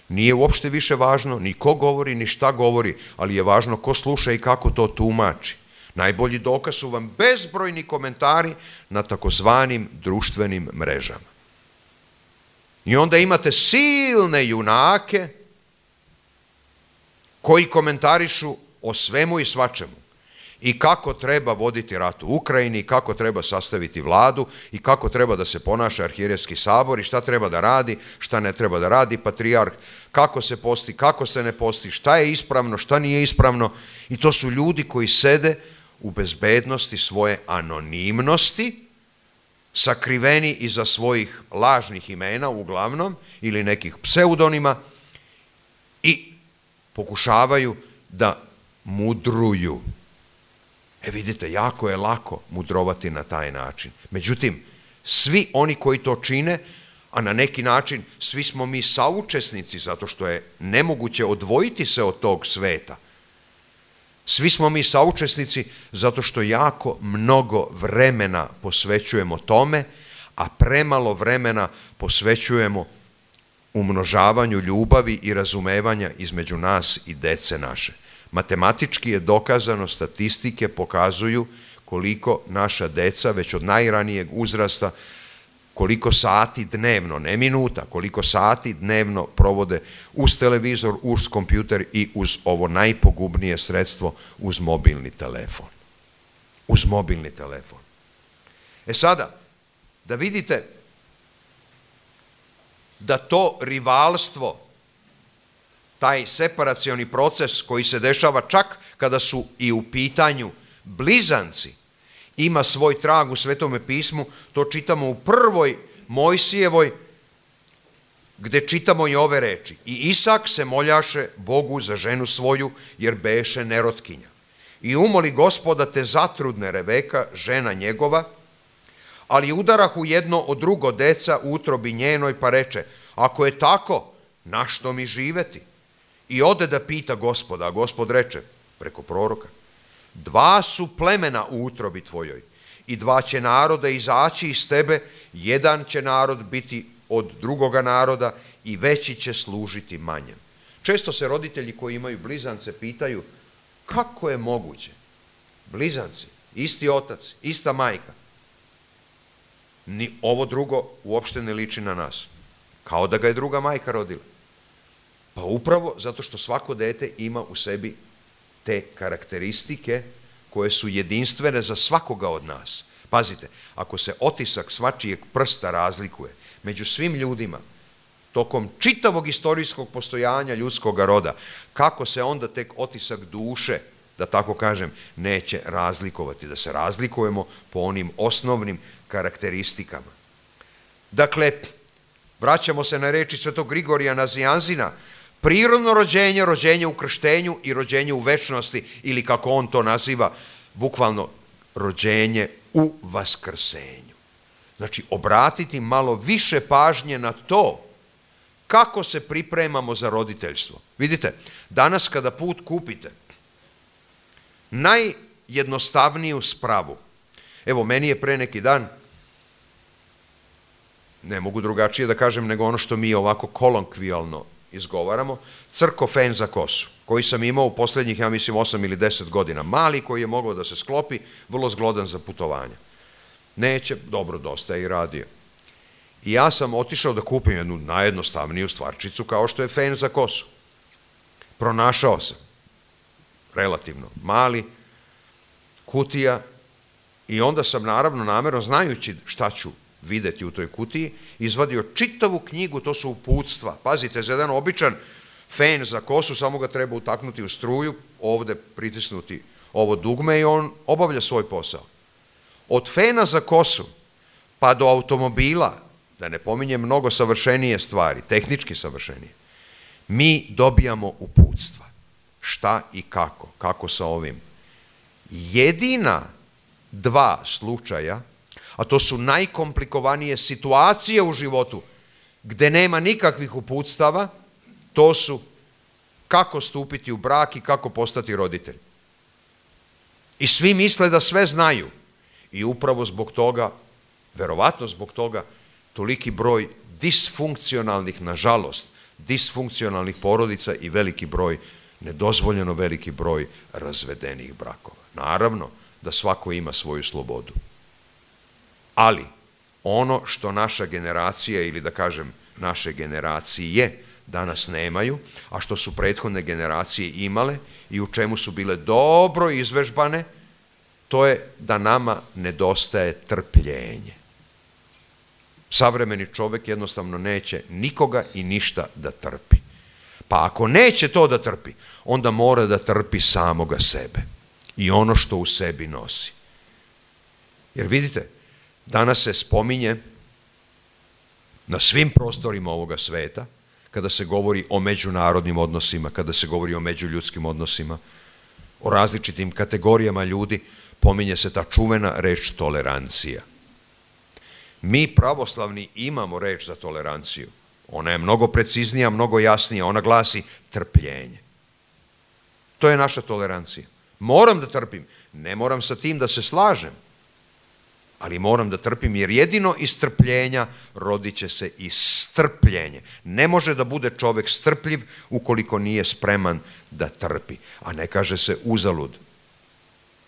nije uopšte više važno ni ko govori, ni šta govori, ali je važno ko sluša i kako to tumači. Najbolji dokaz su vam bezbrojni komentari na takozvanim društvenim mrežama. I onda imate silne junake koji komentarišu o svemu i svačemu. I kako treba voditi rat u Ukrajini, i kako treba sastaviti vladu, i kako treba da se ponaša arhijerejski sabor, i šta treba da radi, šta ne treba da radi patrijarh, kako se posti, kako se ne posti, šta je ispravno, šta nije ispravno. I to su ljudi koji sede u bezbednosti svoje anonimnosti, sakriveni iza svojih lažnih imena uglavnom, ili nekih pseudonima, i pokušavaju da mudruju. Vidite, jako je lako mudrovati na taj način. Međutim, svi oni koji to čine, a na neki način svi smo mi saučesnici, zato što je nemoguće odvojiti se od tog sveta. Svi smo mi saučesnici zato što jako mnogo vremena posvećujemo tome, a premalo vremena posvećujemo umnožavanju ljubavi i razumevanja između nas i dece naše. Matematički je dokazano, statistike pokazuju koliko naša deca već od najranijeg uzrasta, koliko sati dnevno, ne minuta, koliko sati dnevno provode uz televizor, uz kompjuter i uz ovo najpogubnije sredstvo, uz mobilni telefon. Uz mobilni telefon. Sada, da vidite da to rivalstvo, taj separacioni proces koji se dešava čak kada su i u pitanju blizanci, ima svoj trag u Svetome pismu, to čitamo u prvoj Mojsijevoj, gde čitamo i ove reči. I Isak se moljaše Bogu za ženu svoju, jer beše nerotkinja. I umoli Gospoda te zatrudne Rebeka, žena njegova, ali udarahu jedno od drugo deca u utrobi njenoj, pa reče, ako je tako, na što mi živeti? I ode da pita Gospoda, a Gospod reče, preko proroka, 2 su plemena u utrobi tvojoj i 2 će naroda izaći iz tebe, jedan će narod biti od drugoga naroda i veći će služiti manjem. Često se roditelji koji imaju blizance pitaju, kako je moguće? Blizanci, isti otac, ista majka. Ni ovo drugo uopšte ne liči na nas. Kao da ga je druga majka rodila. Pa upravo zato što svako dete ima u sebi te karakteristike koje su jedinstvene za svakoga od nas. Pazite, ako se otisak svačijeg prsta razlikuje među svim ljudima, tokom čitavog istorijskog postojanja ljudskog roda, kako se onda tek otisak duše, da tako kažem, neće razlikovati, da se razlikujemo po onim osnovnim karakteristikama. Dakle, vraćamo se na reči svetog Grigorija Nazianzina, prirodno rođenje, rođenje u krštenju i rođenje u večnosti, ili kako on to naziva, bukvalno rođenje u vaskrsenju. Znači, obratiti malo više pažnje na to kako se pripremamo za roditeljstvo. Vidite, danas kada put kupite, najjednostavniju spravu, evo, meni je pre neki dan, ne mogu drugačije da kažem nego ono što mi ovako kolonkvijalno izgovaramo, crkofen za kosu, koji sam imao u posljednjih, ja mislim, 8 ili 10 godina. Mali koji je mogao da se sklopi, vrlo zglodan za putovanje. Neće, dobro, dosta je i radio. I ja sam otišao da kupim jednu najjednostavniju stvarčicu kao što je fen za kosu. Pronašao sam relativno mali kutija i onda sam naravno namerno, znajući šta ću videti u toj kutiji, izvadio čitavu knjigu, to su uputstva. Pazite, za jedan običan fen za kosu samo ga treba utaknuti u struju, ovde pritisnuti ovo dugme i on obavlja svoj posao. Od fena za kosu pa do automobila, da ne pominjem mnogo savršenije stvari, tehnički savršenije, mi dobijamo uputstva. Šta i kako sa ovim. Jedina 2 slučaja, a to su najkomplikovanije situacije u životu, gde nema nikakvih uputstava, to su kako stupiti u brak i kako postati roditelj. I svi misle da sve znaju. I upravo zbog toga, verovatno zbog toga, toliki broj disfunkcionalnih, nažalost, disfunkcionalnih porodica i veliki broj, nedozvoljeno veliki broj razvedenih brakova. Naravno da svako ima svoju slobodu. Ali ono što naša generacija, ili da kažem naše generacije, danas nemaju, a što su prethodne generacije imale i u čemu su bile dobro izvežbane, to je da nama nedostaje trpljenje. Savremeni čovek jednostavno neće nikoga i ništa da trpi. Pa ako neće to da trpi, onda mora da trpi samoga sebe i ono što u sebi nosi. Jer vidite, danas se spominje na svim prostorima ovoga sveta, kada se govori o međunarodnim odnosima, kada se govori o međuljudskim odnosima, o različitim kategorijama ljudi, pominje se ta čuvena reč tolerancija. Mi pravoslavni imamo reč za toleranciju. Ona je mnogo preciznija, mnogo jasnija. Ona glasi trpljenje. To je naša tolerancija. Moram da trpim. Ne moram sa tim da se slažem, ali moram da trpim, jer jedino iz trpljenja rodit će se i strpljenje. Ne može da bude čovek strpljiv ukoliko nije spreman da trpi. A ne kaže se uzalud.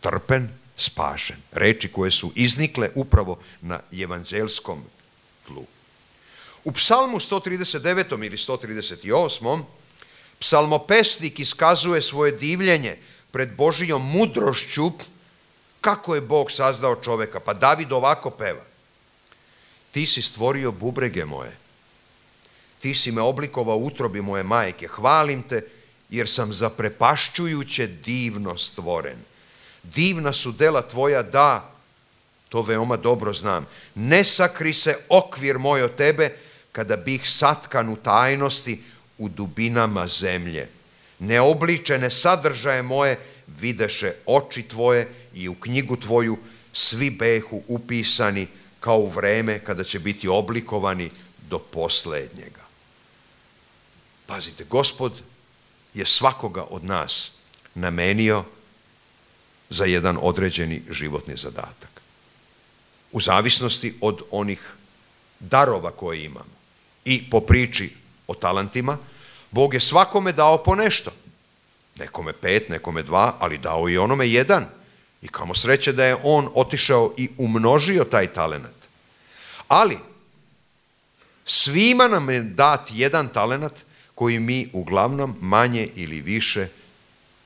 Trpen, spašen. Reči koje su iznikle upravo na evanđelskom tlu. U psalmu 139. ili 138. psalmopesnik iskazuje svoje divljenje pred Božijom mudrošću kako je Bog sazdao čoveka. Pa David ovako peva. Ti si stvorio bubrege moje. Ti si me oblikovao u utrobi moje majke. Hvalim te jer sam zaprepašćujuće divno stvoren. Divna su dela tvoja, da, to veoma dobro znam. Ne sakri se okvir moj od tebe, kada bih satkan u tajnosti u dubinama zemlje. Neobličene sadržaje moje videše oči tvoje i u knjigu tvoju svi behu upisani kao u vreme kada će biti oblikovani do poslednjega. Pazite, Gospod je svakoga od nas namenio za jedan određeni životni zadatak. U zavisnosti od onih darova koje imamo. I po priči o talentima, Bog je svakome dao po nešto. Nekome 5, nekome 2, ali dao i onome 1. I kamo sreće da je on otišao i umnožio taj talenat. Ali, svima nam je dat jedan talenat koji mi uglavnom manje ili više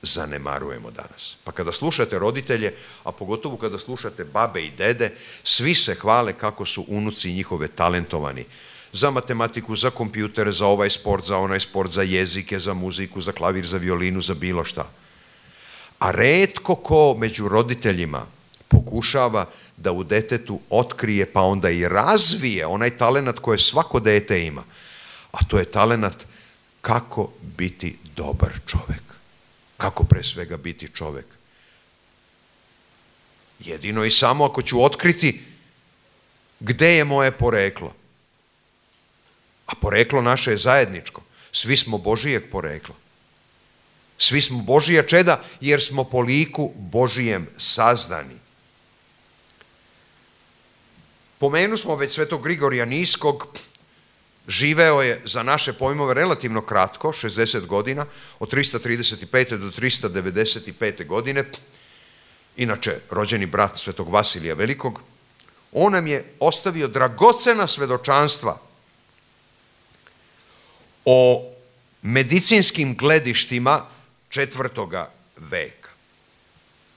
zanemarujemo danas. Pa kada slušate roditelje, a pogotovo kada slušate babe i dede, svi se hvale kako su unuci njihove talentovani. Za matematiku, za kompjutere, za ovaj sport, za onaj sport, za jezike, za muziku, za klavir, za violinu, za bilo šta. A retko ko među roditeljima pokušava da u detetu otkrije pa onda i razvije onaj talenat koje svako dete ima. A to je talenat kako biti dobar čovek. Kako pre svega biti čovek. Jedino i samo ako ću otkriti gde je moje poreklo. A poreklo naše je zajedničko. Svi smo Božijeg porekla. Svi smo Božija čeda jer smo po liku Božijem sazdani. Pomenu smo već svetog Grigorija Niskog. Živeo je za naše pojmove relativno kratko, 60 godina, od 335. do 395. godine. Inače, rođeni brat svetog Vasilija Velikog. On nam je ostavio dragocena svedočanstva o medicinskim gledištima 4. veka.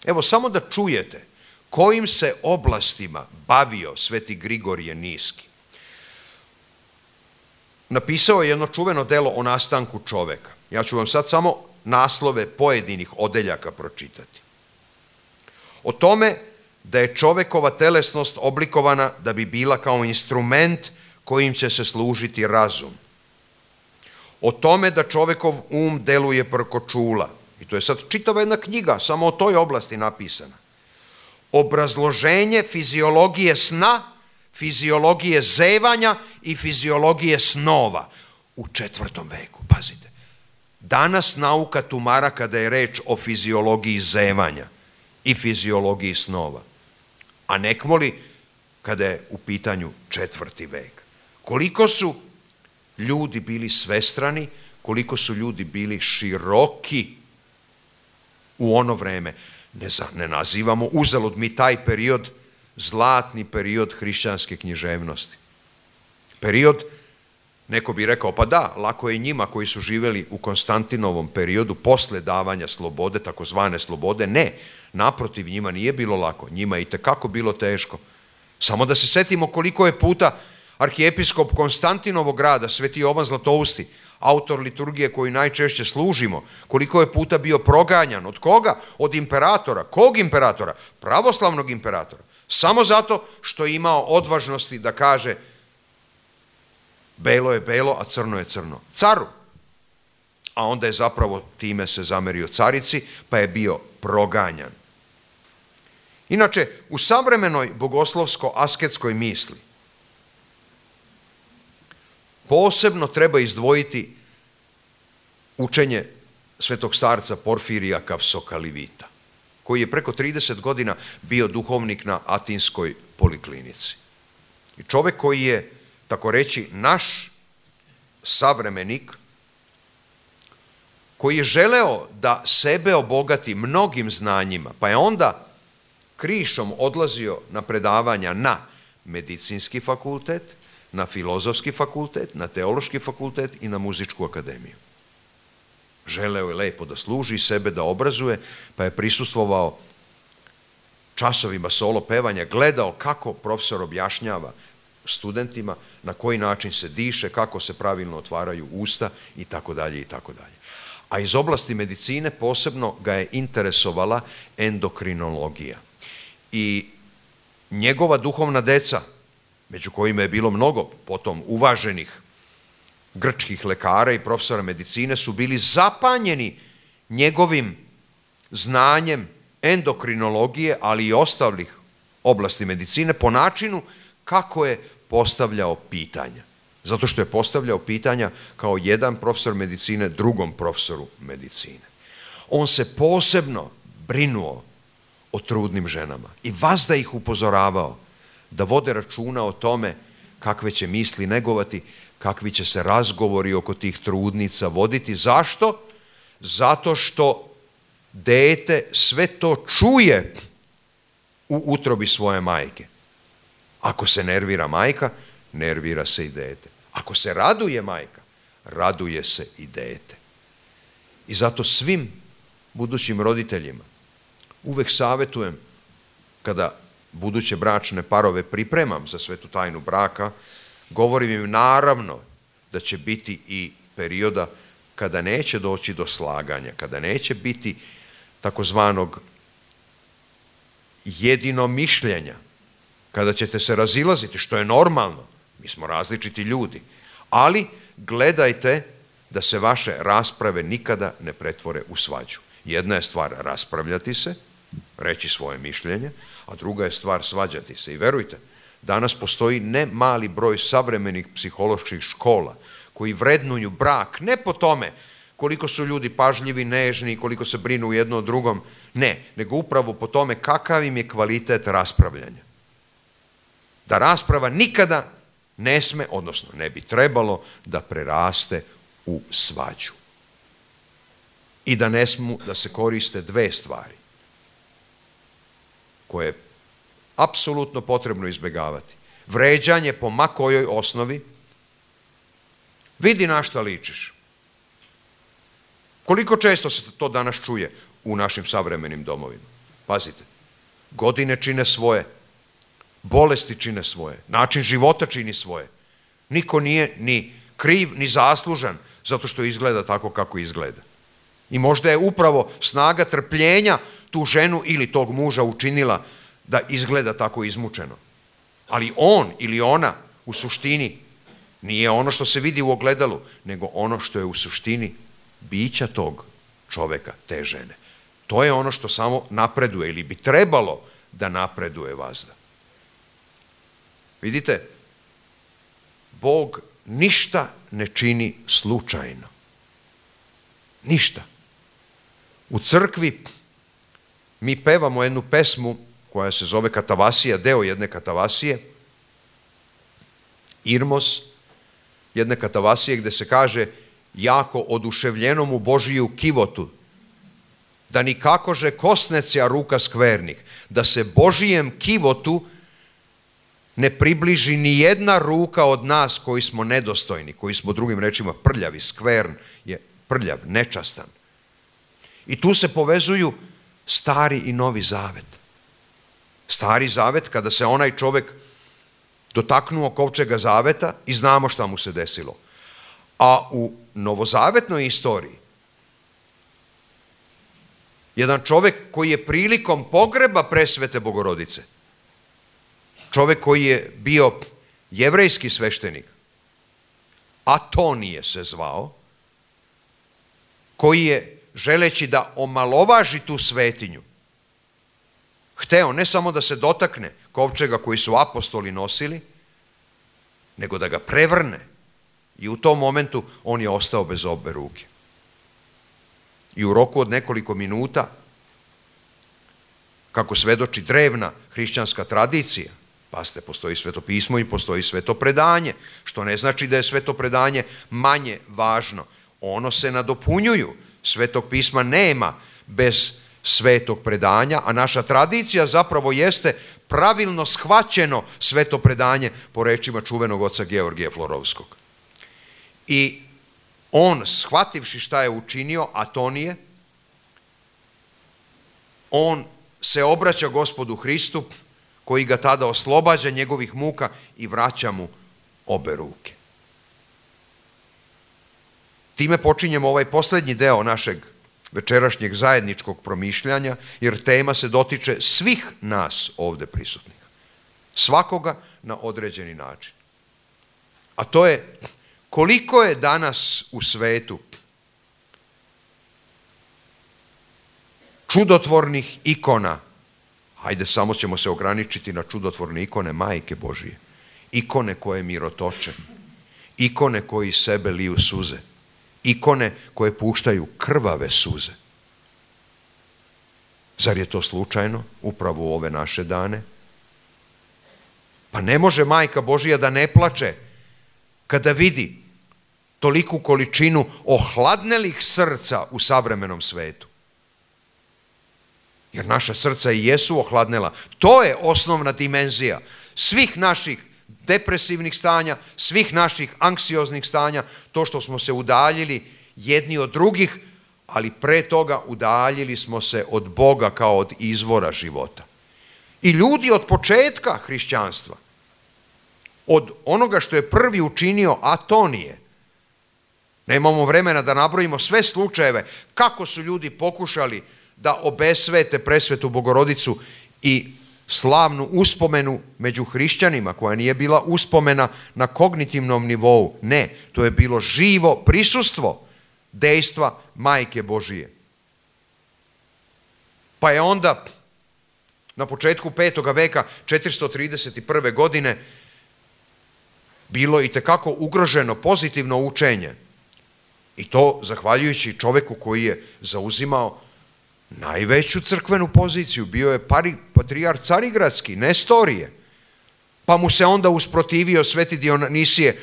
Evo, samo da čujete kojim se oblastima bavio sveti Grigorije Niski. Napisao je jedno čuveno delo o nastanku čoveka. Ja ću vam sad samo naslove pojedinih odeljaka pročitati. O tome da je čovekova telesnost oblikovana da bi bila kao instrument kojim će se služiti razum. O tome da čovekov deluje preko čula. I to je sad čitava jedna knjiga, samo o toj oblasti napisana. Obrazloženje fiziologije sna, fiziologije zevanja i fiziologije snova u 4. veku. Pazite, danas nauka tumara kada je reč o fiziologiji zevanja i fiziologiji snova, a nekmoli kada je u pitanju 4. vek. Koliko su ljudi bili svestrani, koliko su ljudi bili široki u ono vreme. Ne nazivamo uzalud mi taj period zlatni period hrišćanske književnosti. Period, neko bi rekao, pa da, lako je njima koji su živjeli u Konstantinovom periodu posle davanja slobode, takozvane slobode. Ne, naprotiv, njima nije bilo lako, njima je itekako bilo teško. Samo da se setimo koliko je puta arhijepiskop Konstantinovog grada, sveti Jovan Zlatousti, autor liturgije koju najčešće služimo, koliko je puta bio proganjan. Od koga? Od imperatora. Kog imperatora? Pravoslavnog imperatora. Samo zato što je imao odvažnosti da kaže belo je belo, a crno je crno. Caru. A onda je zapravo time se zamerio carici, pa je bio proganjan. Inače, u savremenoj bogoslovsko-asketskoj misli posebno treba izdvojiti učenje svetog starca Porfirija Kavsokalivita, koji je preko 30 godina bio duhovnik na Atinskoj poliklinici. I čovek koji je, tako reći, naš savremenik, koji je želeo da sebe obogati mnogim znanjima, pa je onda krišom odlazio na predavanja na medicinski fakultet, na filozofski fakultet, na teološki fakultet i na muzičku akademiju. Želeo je lepo da služi sebe, da obrazuje, pa je prisustvovao časovima solo pevanja, gledao kako profesor objašnjava studentima, na koji način se diše, kako se pravilno otvaraju usta i tako dalje i tako dalje. A iz oblasti medicine posebno ga je interesovala endokrinologija. I njegova duhovna deca, među kojima je bilo mnogo potom uvaženih grčkih lekara i profesora medicine, su bili zapanjeni njegovim znanjem endokrinologije, ali i ostalih oblasti medicine, po načinu kako je postavljao pitanja. Zato što je postavljao pitanja kao jedan profesor medicine drugom profesoru medicine. On se posebno brinuo o trudnim ženama i vazda ih upozoravao da vode računa o tome kakve će misli negovati, kakvi će se razgovori oko tih trudnica voditi. Zašto? Zato što dete sve to čuje u utrobi svoje majke. Ako se nervira majka, nervira se i dete. Ako se raduje majka, raduje se i dete. I zato svim budućim roditeljima uvek savjetujem, kada buduće bračne parove pripremam za svetu tajnu braka, govorim im naravno da će biti i perioda kada neće doći do slaganja, kada neće biti takozvanog jedinomišljenja, kada ćete se razilaziti, što je normalno, mi smo različiti ljudi, ali gledajte da se vaše rasprave nikada ne pretvore u svađu. Jedna je stvar raspravljati se, reći svoje mišljenje, a druga je stvar svađati se. I verujte, danas postoji ne mali broj savremenih psiholoških škola koji vrednuju brak ne po tome koliko su ljudi pažljivi, nežni, koliko se brinu jedno o drugom, ne, nego upravo po tome kakav im je kvalitet raspravljanja. Da rasprava nikada ne sme, odnosno ne bi trebalo da preraste u svađu. I da ne smu da se koriste dve stvari koje je apsolutno potrebno izbjegavati. Vređanje po ma kojoj osnovi. Vidi na šta ličiš. Koliko često se to danas čuje u našim savremenim domovima? Pazite, godine čine svoje, bolesti čine svoje, način života čini svoje. Niko nije ni kriv, ni zaslužan zato što izgleda tako kako izgleda. I možda je upravo snaga trpljenja tu ženu ili tog muža učinila da izgleda tako izmučeno. Ali on ili ona u suštini nije ono što se vidi u ogledalu, nego ono što je u suštini bića tog čoveka, te žene. To je ono što samo napreduje ili bi trebalo da napreduje vazda. Vidite, Bog ništa ne čini slučajno. Ništa. U crkvi mi pevamo jednu pesmu koja se zove Katavasija, deo jedne katavasije, Irmos, jedne katavasije gde se kaže jako oduševljenom u Božiju kivotu, da nikakože kosnecija ruka skvernih, da se Božijem kivotu ne približi ni jedna ruka od nas koji smo nedostojni, koji smo drugim rečima prljavi, skvern je prljav, nečastan. I tu se povezuju Stari i Novi Zavet. Stari Zavet, kada se onaj čovek dotaknuo kovčega zaveta i znamo šta mu se desilo. A u novozavetnoj istoriji jedan čovek koji je prilikom pogreba presvete Bogorodice, čovek koji je bio jevrejski sveštenik, Atonije se zvao, koji je, želeći da omalovaži tu svetinju, hteo ne samo da se dotakne kovčega koji su apostoli nosili, nego da ga prevrne. I u tom momentu on je ostao bez obe ruke. I u roku od nekoliko minuta, kako svedoči drevna hrišćanska tradicija, pazite, postoji svetopismo i postoji sveto predanje, što ne znači da je sveto predanje manje važno. Ono se nadopunjuju. Svetog pisma nema bez svetog predanja, a naša tradicija zapravo jeste pravilno shvaćeno sveto predanje po rečima čuvenog oca Georgija Florovskog. I on, shvativši šta je učinio, Atonije, on se obraća Gospodu Hristu, koji ga tada oslobađa njegovih muka i vraća mu obe ruke. Time počinjemo ovaj posljednji deo našeg večerašnjeg zajedničkog promišljanja, jer tema se dotiče svih nas ovde prisutnih. Svakoga na određeni način. A to je koliko je danas u svetu čudotvornih ikona, hajde samo ćemo se ograničiti na čudotvorne ikone Majke Božije, ikone koje mirotoče, ikone koji sebe liju suze, ikone koje puštaju krvave suze. Zar je to slučajno upravo u ove naše dane? Pa ne može Majka Božija da ne plače kada vidi toliku količinu ohladnelih srca u savremenom svetu. Jer naša srca i jesu ohladnela. To je osnovna dimenzija svih naših depresivnih stanja, svih naših anksioznih stanja, to što smo se udaljili jedni od drugih, ali pre toga udaljili smo se od Boga kao od izvora života. I ljudi od početka hrišćanstva, od onoga što je prvi učinio Atonije, nemamo vremena da nabrojimo sve slučajeve kako su ljudi pokušali da obesvete presvetu Bogorodicu i slavnu uspomenu među hrišćanima, koja nije bila uspomena na kognitivnom nivou. Ne, to je bilo živo prisustvo dejstva Majke Božije. Pa je onda na početku 5. veka 431. godine bilo itekako ugroženo pozitivno učenje. I to zahvaljujući čoveku koji je zauzimao najveću crkvenu poziciju. Bio je patrijarh Carigradski, Nestorije. Pa mu se onda usprotivio sveti Dionisije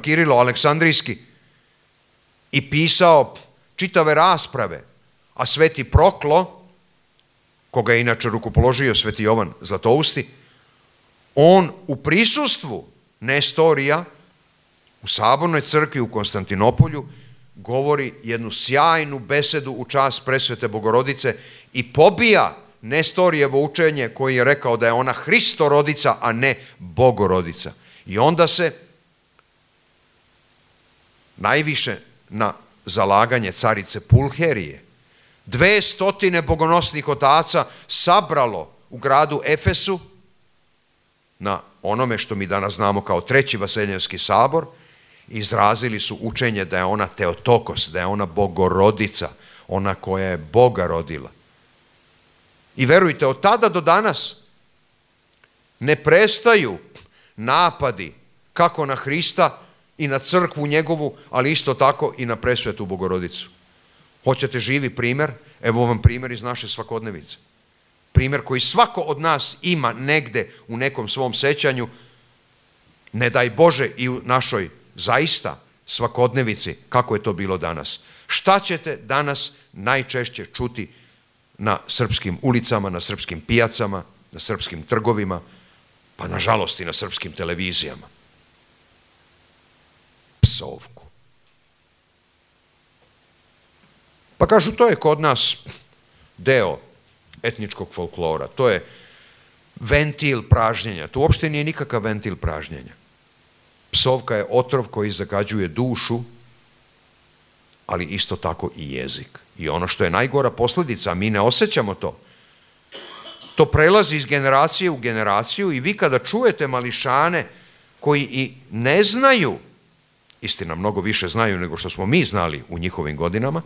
Kirilo Aleksandrijski i pisao čitave rasprave. A sveti Proklo, koga je inače rukopoložio sveti Jovan Zlatousti, on u prisustvu Nestorija u Sabornoj crkvi u Konstantinopolju govori jednu sjajnu besedu u čast presvete Bogorodice i pobija Nestorijevo učenje koji je rekao da je ona Hristorodica, a ne Bogorodica. I onda se najviše na zalaganje carice Pulherije 200 bogonosnih otaca sabralo u gradu Efesu na onome što mi danas znamo kao Treći Vaseljenski sabor. Izrazili su učenje da je ona Teotokos, da je ona Bogorodica, ona koja je Boga rodila. I verujte, od tada do danas ne prestaju napadi kako na Hrista i na crkvu njegovu, ali isto tako i na presvetu Bogorodicu. Hoćete živi primjer? Evo vam primjer iz naše svakodnevice. Primjer koji svako od nas ima negde u nekom svom sećanju, ne daj Bože i u našoj zaista svakodnevici, kako je to bilo danas. Šta ćete danas najčešće čuti na srpskim ulicama, na srpskim pijacama, na srpskim trgovima, pa nažalost i na srpskim televizijama? Psovku. Pa kažu, to je kod nas deo etničkog folklora, to je ventil pražnjenja. To uopšte nije nikakav ventil pražnjenja. Psovka je otrov koji zagađuje dušu, ali isto tako i jezik. I ono što je najgora posljedica, a mi ne osjećamo to, to prelazi iz generacije u generaciju i vi kada čujete mališane koji i ne znaju, istina mnogo više znaju nego što smo mi znali u njihovim godinama,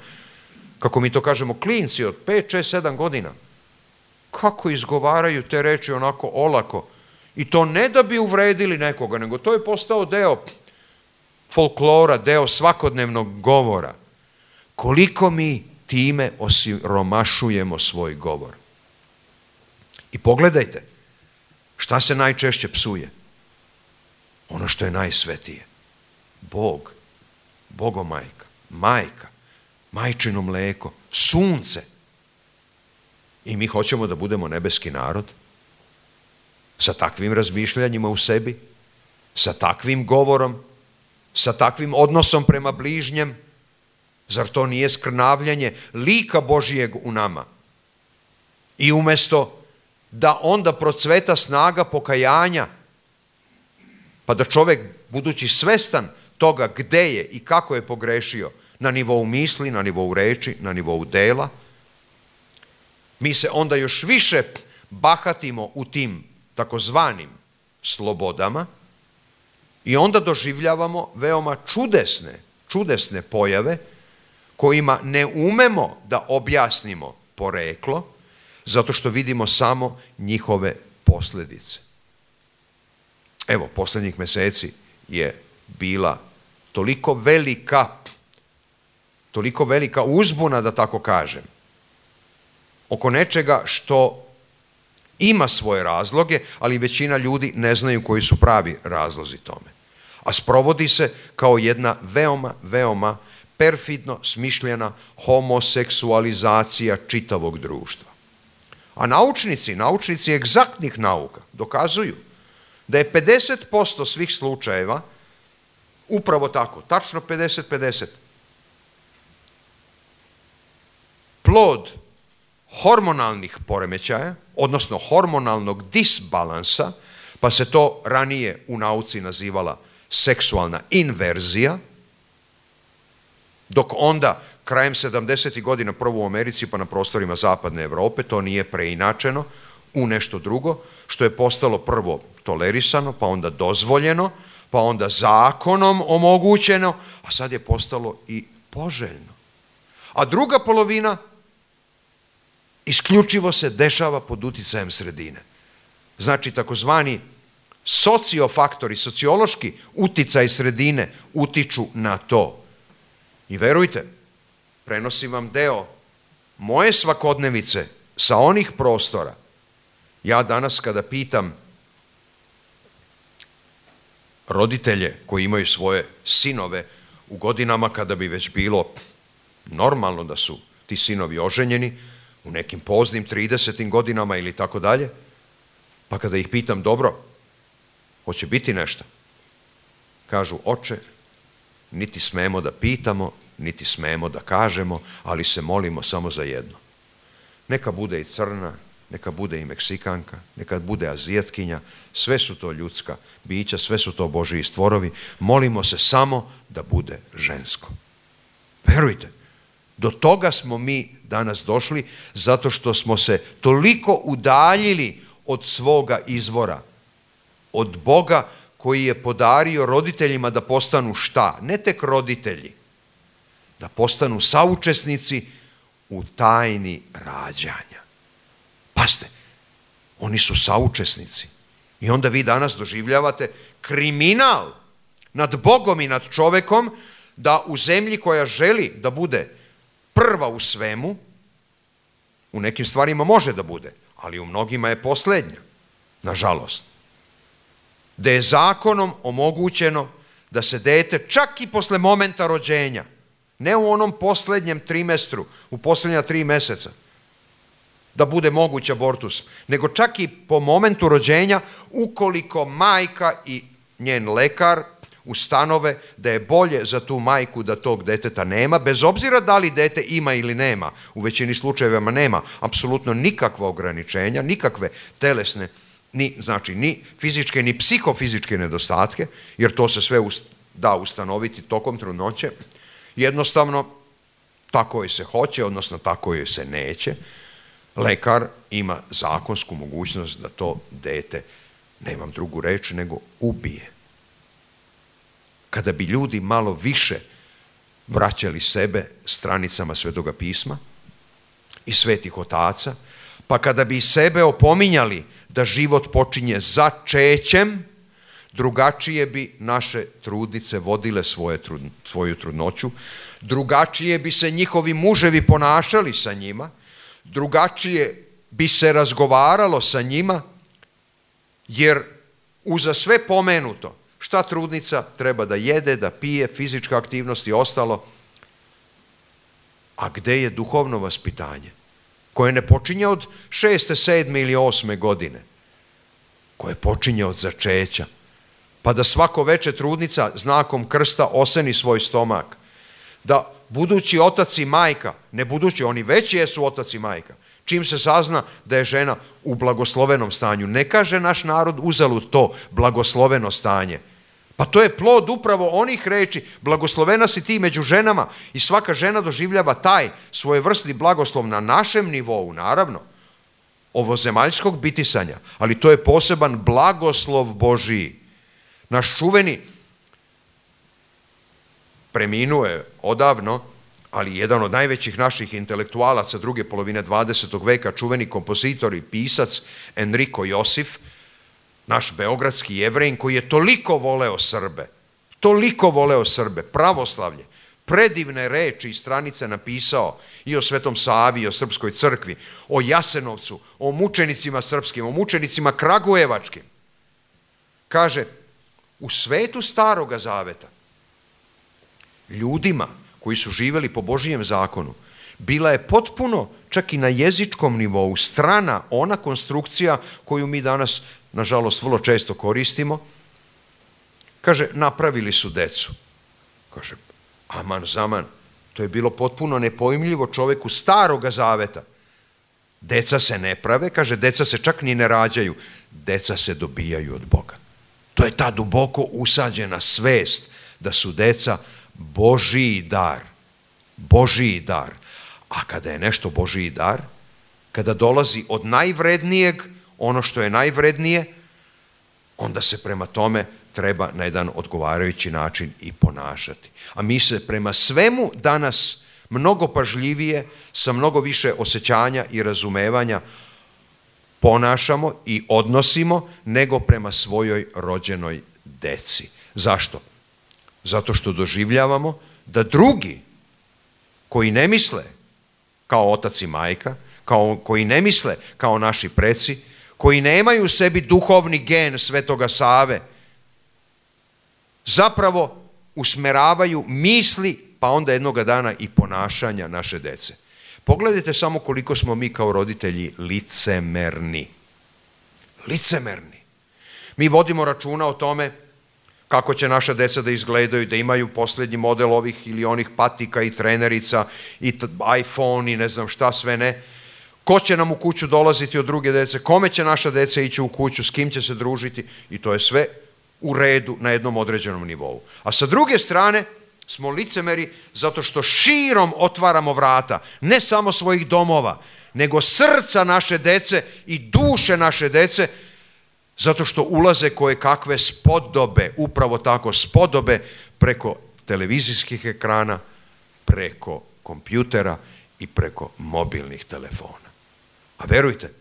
kako mi to kažemo, klinci od 5, 6, 7 godina, kako izgovaraju te reči onako olako. I to ne da bi uvredili nekoga, nego to je postao deo folklora, deo svakodnevnog govora. Koliko mi time osiromašujemo svoj govor. I pogledajte, šta se najčešće psuje? Ono što je najsvetije. Bog, Bogomajka, majka, majčino mleko, sunce. I mi hoćemo da budemo nebeski narod sa takvim razmišljanjima u sebi, sa takvim govorom, sa takvim odnosom prema bližnjem. Zar to nije skrnavljanje lika Božijeg u nama? I umjesto da onda procveta snaga pokajanja, pa da čovjek, budući svestan toga gde je i kako je pogrešio, na nivou misli, na nivou reči, na nivou dela, mi se onda još više bahatimo u tim takozvanim slobodama i onda doživljavamo veoma čudesne pojave kojima ne umemo da objasnimo poreklo, zato što vidimo samo njihove posljedice. evo, posljednjih meseci je bila toliko velika uzbuna, da tako kažem, oko nečega što ima svoje razloge, ali većina ljudi ne znaju koji su pravi razlozi tome. A sprovodi se kao jedna veoma perfidno smišljena homoseksualizacija čitavog društva. A naučnici egzaktnih nauka dokazuju da je 50% svih slučajeva upravo tako, tačno 50-50, plod hormonalnih poremećaja, odnosno hormonalnog disbalansa, pa se to ranije u nauci nazivala seksualna inverzija, dok onda krajem 70. godina prvo u Americi pa na prostorima zapadne Evrope to nije preinačeno u nešto drugo, što je postalo prvo tolerisano, pa onda dozvoljeno, pa onda zakonom omogućeno, a sad je postalo i poželjno. A druga polovina isključivo se dešava pod uticajem sredine. Znači, takozvani sociofaktori, sociološki uticaj sredine utiču na to. I verujte, prenosim vam deo moje svakodnevice sa onih prostora. Ja danas kada pitam roditelje koji imaju svoje sinove u godinama kada bi već bilo normalno da su ti sinovi oženjeni, u nekim poznim 30. godinama ili tako dalje, pa kada ih pitam, dobro, hoće biti nešto? Kažu, oče, niti smemo da pitamo, niti smemo da kažemo, ali se molimo samo za jedno. Neka bude i crna, neka bude i Meksikanka, neka bude Azijatkinja, sve su to ljudska bića, sve su to Božji stvorovi, molimo se samo da bude žensko. Verujte, do toga smo mi danas došli zato što smo se toliko udaljili od svoga izvora, od Boga koji je podario roditeljima da postanu šta? Ne tek roditelji, da postanu saučesnici u tajni rađanja. Pazite, oni su saučesnici. I onda vi danas doživljavate kriminal nad Bogom i nad čovekom da u zemlji koja želi da bude prva u svemu, u nekim stvarima može da bude, ali u mnogima je poslednja, nažalost. Da je zakonom omogućeno da se dete čak i posle momenta rođenja, ne u onom poslednjem trimestru, u poslednja 3 meseca, da bude moguć abortus, nego čak i po momentu rođenja, ukoliko majka i njen lekar ustanove da je bolje za tu majku da tog deteta nema, bez obzira da li dete ima ili nema, u većini slučajeva nema apsolutno nikakva ograničenja, nikakve telesne, ni fizičke, ni psihofizičke nedostatke, jer to se sve da ustanoviti tokom trudnoće, jednostavno tako joj se hoće, odnosno tako joj se neće, lekar ima zakonsku mogućnost da to dete, nemam drugu reč, nego ubije. Kada bi ljudi malo više vraćali sebe stranicama Svetoga pisma i svetih otaca, pa kada bi sebe opominjali da život počinje začećem, drugačije bi naše trudnice vodile svoju trudnoću, drugačije bi se njihovi muževi ponašali sa njima, drugačije bi se razgovaralo sa njima, jer uza sve pomenuto, šta trudnica treba da jede, da pije, fizička aktivnost i ostalo, a gde je duhovno vaspitanje, koje ne počinje od 6., 7. ili 8. godine, koje počinje od začeća, pa da svako veče trudnica znakom krsta oseni svoj stomak, da budući otac i majka, ne budući, oni već jesu otac i majka, čim se sazna da je žena u blagoslovenom stanju, ne kaže naš narod uzalud to blagosloveno stanje. Pa to je plod upravo onih reči, blagoslovena si ti među ženama, i svaka žena doživljava taj svojevrsni blagoslov na našem nivou, naravno, ovozemaljskog bitisanja, ali to je poseban blagoslov Božiji. Naš čuveni, preminuo je odavno, ali jedan od najvećih naših intelektualaca druge polovine 20. veka, čuveni kompozitor i pisac Enrico Josif, naš beogradski Jevrejin koji je toliko voleo Srbe, pravoslavlje, predivne reči i stranice napisao i o Svetom Savi, i o Srpskoj crkvi, o Jasenovcu, o mučenicima srpskim, o mučenicima kragujevačkim. Kaže, u svetu Staroga Zaveta, ljudima koji su živjeli po Božijem zakonu, bila je potpuno, čak i na jezičkom nivou, strana ona konstrukcija koju mi danas, nažalost, vrlo često koristimo. Kaže, napravili su decu. Kaže, aman zaman, to je bilo potpuno nepojmljivo čoveku Staroga Zaveta. Deca se ne prave, kaže, deca se čak ni ne rađaju, deca se dobijaju od Boga. To je ta duboko usađena svest da su deca Božiji dar. Božiji dar. A kada je nešto Božiji dar, kada dolazi od najvrednijeg, ono što je najvrednije, onda se prema tome treba na jedan odgovarajući način i ponašati. A mi se prema svemu danas mnogo pažljivije, sa mnogo više osjećanja i razumevanja ponašamo i odnosimo nego prema svojoj rođenoj deci. Zašto? Zato što doživljavamo da drugi koji ne misle kao otac i majka, koji ne misle kao naši preci, koji nemaju u sebi duhovni gen Svetoga Save, zapravo usmeravaju misli, pa onda jednoga dana i ponašanja naše dece. Pogledajte samo koliko smo mi kao roditelji licemerni. Licemerni. Mi vodimo računa o tome kako će naša deca da izgledaju, da imaju posljednji model ovih ili onih patika i trenerica i iPhone i ne znam šta sve ne. Ko će nam u kuću dolaziti od druge dece, kome će naša deca ići u kuću, s kim će se družiti i to je sve u redu na jednom određenom nivou. A sa druge strane smo licemeri zato što širom otvaramo vrata, ne samo svojih domova, nego srca naše dece i duše naše dece, zato što ulaze koje kakve spodobe, upravo tako spodobe, preko televizijskih ekrana, preko kompjutera i preko mobilnih telefona. A verujte,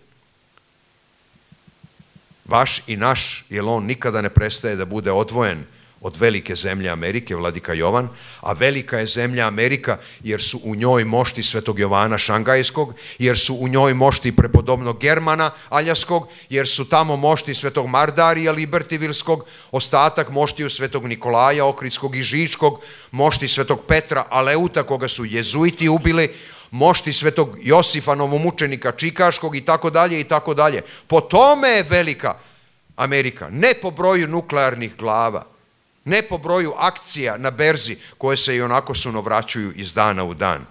vaš i naš, jer on nikada ne prestaje da bude odvojen od velike zemlje Amerike, vladika Jovan, a velika je zemlja Amerika jer su u njoj mošti Svetog Jovana Šangajskog, jer su u njoj mošti prepodobnog Germana Aljaskog, jer su tamo mošti Svetog Mardarija Libertivilskog, ostatak moštiju Svetog Nikolaja Ohridskog i Žičkog, mošti Svetog Petra Aleuta koga su jezuiti ubili, mošti Svetog Josifa novomučenika Čikaškog i tako dalje i tako dalje. Po tome je velika Amerika, ne po broju nuklearnih glava, ne po broju akcija na berzi koje se i onako sunovraćuju iz dana u dan,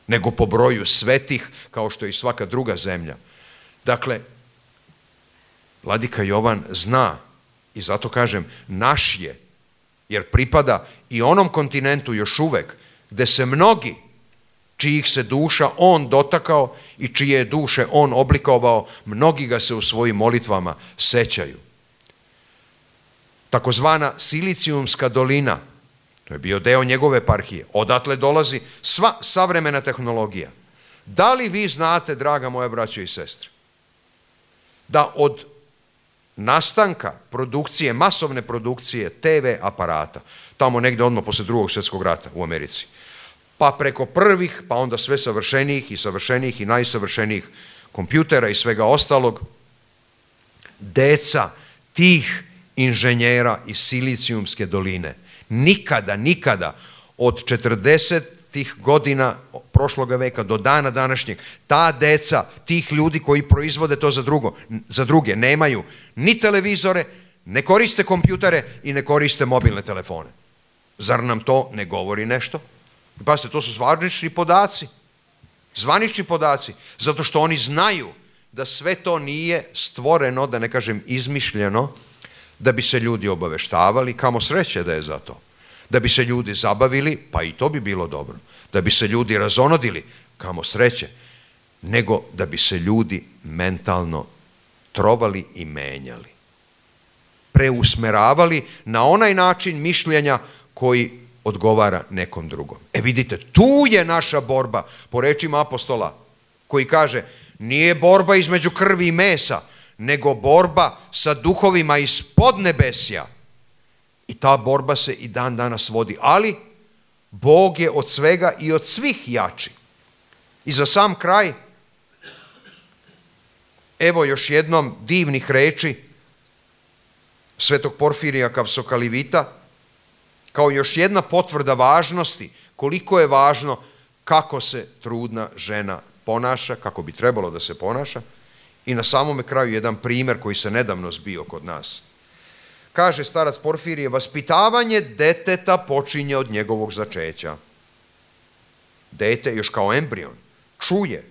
nego po broju svetih kao što je i svaka druga zemlja. Dakle, vladika Jovan zna i zato kažem naš je, jer pripada i onom kontinentu još uvek gde se mnogi čijih se duša on dotakao i čije je duše on oblikovao, mnogi ga se u svojim molitvama sećaju. Takozvana Silicijumska dolina, to je bio deo njegove eparhije, odatle dolazi sva savremena tehnologija. Da li vi znate, draga moja braćo i sestre, da od nastanka produkcije, masovne produkcije TV aparata, tamo negde odmah posle Drugog svjetskog rata u Americi, pa preko prvih, pa onda sve savršenijih i najsavršenijih kompjutera i svega ostalog, deca tih inženjera iz Silicijumske doline nikada od 40-ih godina prošloga veka do dana današnjeg, ta deca tih ljudi koji proizvode to za druge nemaju ni televizore, ne koriste kompjutere i ne koriste mobilne telefone. Zar nam to ne govori nešto? Pazite, to su zvanični podaci, zato što oni znaju da sve to nije stvoreno, da ne kažem izmišljeno, da bi se ljudi obaveštavali, kamo sreće da je za to. Da bi se ljudi zabavili, pa i to bi bilo dobro. Da bi se ljudi razonodili, kamo sreće. Nego da bi se ljudi mentalno trovali i menjali. Preusmeravali na onaj način mišljenja koji odgovara nekom drugom. Vidite, tu je naša borba, po rečima apostola, koji kaže, nije borba između krvi i mesa, nego borba sa duhovima iz podnebesja. I ta borba se i dan danas vodi, ali Bog je od svega i od svih jači. I za sam kraj, evo još jednom divnih reči svetog Porfirija Kavsokalivita, kao još jedna potvrda važnosti, koliko je važno kako se trudna žena ponaša, kako bi trebalo da se ponaša. I na samome kraju jedan primjer koji se nedavno zbio kod nas. Kaže starac Porfirije, vaspitavanje deteta počinje od njegovog začeća. Dete, još kao embrion, čuje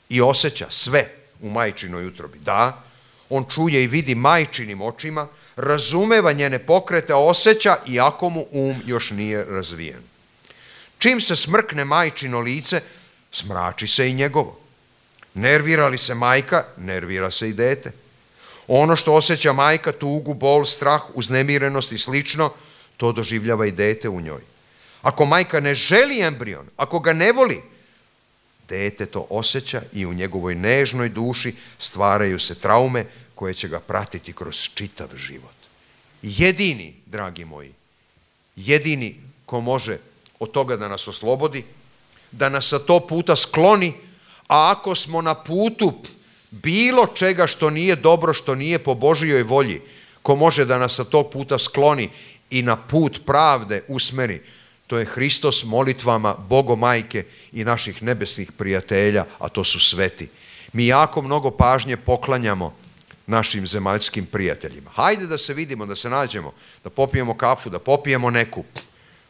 i osjeća sve u majčinoj utrobi. Da, on čuje i vidi majčinim očima, razumeva njene pokrete, osjeća iako mu još nije razvijen. Čim se smrkne majčino lice, smrači se i njegovo. Nervira li se majka, nervira se i dete. Ono što osjeća majka, tugu, bol, strah, uznemirenost i slično, to doživljava i dete u njoj. Ako majka ne želi embrion, ako ga ne voli, dete to osjeća i u njegovoj nežnoj duši stvaraju se traume koje će ga pratiti kroz čitav život. Jedini, dragi moji, jedini ko može od toga da nas oslobodi, da nas sa to puta skloni, a ako smo na putu bilo čega što nije dobro, što nije po Božijoj volji, ko može da nas sa tog puta skloni i na put pravde usmeri, to je Hristos molitvama Bogomajke i naših nebesnih prijatelja, a to su sveti. Mi jako mnogo pažnje poklanjamo našim zemaljskim prijateljima. Hajde da se vidimo, da se nađemo, da popijemo kafu, da popijemo neku.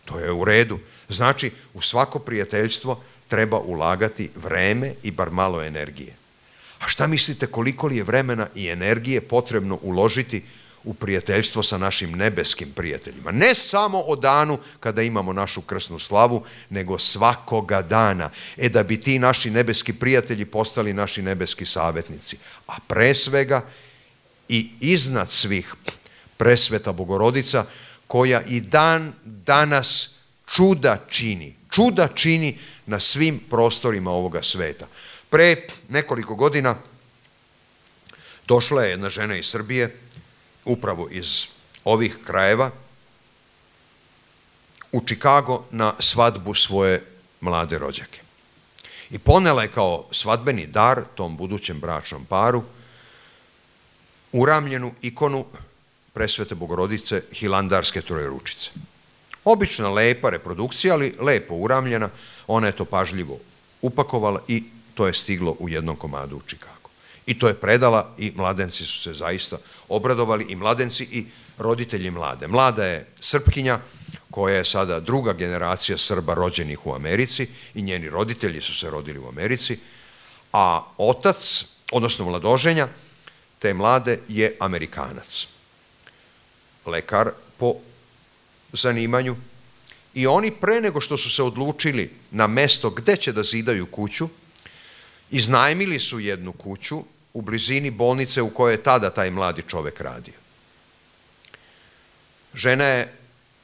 To je u redu. Znači, u svako prijateljstvo treba ulagati vreme i bar malo energije. A šta mislite koliko li je vremena i energije potrebno uložiti u prijateljstvo sa našim nebeskim prijateljima? Ne samo o danu kada imamo našu krsnu slavu, nego svakoga dana. Da bi ti naši nebeski prijatelji postali naši nebeski savjetnici. A pre svega i iznad svih presveta Bogorodica, koja i dan danas čuda čini na svim prostorima ovoga sveta. Pre nekoliko godina došla je jedna žena iz Srbije, upravo iz ovih krajeva, u Čikago na svadbu svoje mlade rođake. I ponela je kao svadbeni dar tom budućem bračnom paru uramljenu ikonu presvete Bogorodice Hilandarske Trojeručice. Obična lepa reprodukcija, ali lepo uramljena, ona je to pažljivo upakovala i to je stiglo u jednom komadu u Čikagu. I to je predala i mladenci su se zaista obradovali, i mladenci i roditelji mlade. Mlada je Srpkinja koja je sada druga generacija Srba rođenih u Americi i njeni roditelji su se rodili u Americi, a otac, odnosno mladoženja te mlade je Amerikanac. Lekar po zanimanju. I oni pre nego što su se odlučili na mesto gde će da zidaju kuću, iznajmili su jednu kuću u blizini bolnice u kojoj je tada taj mladi čovek radio. Žena je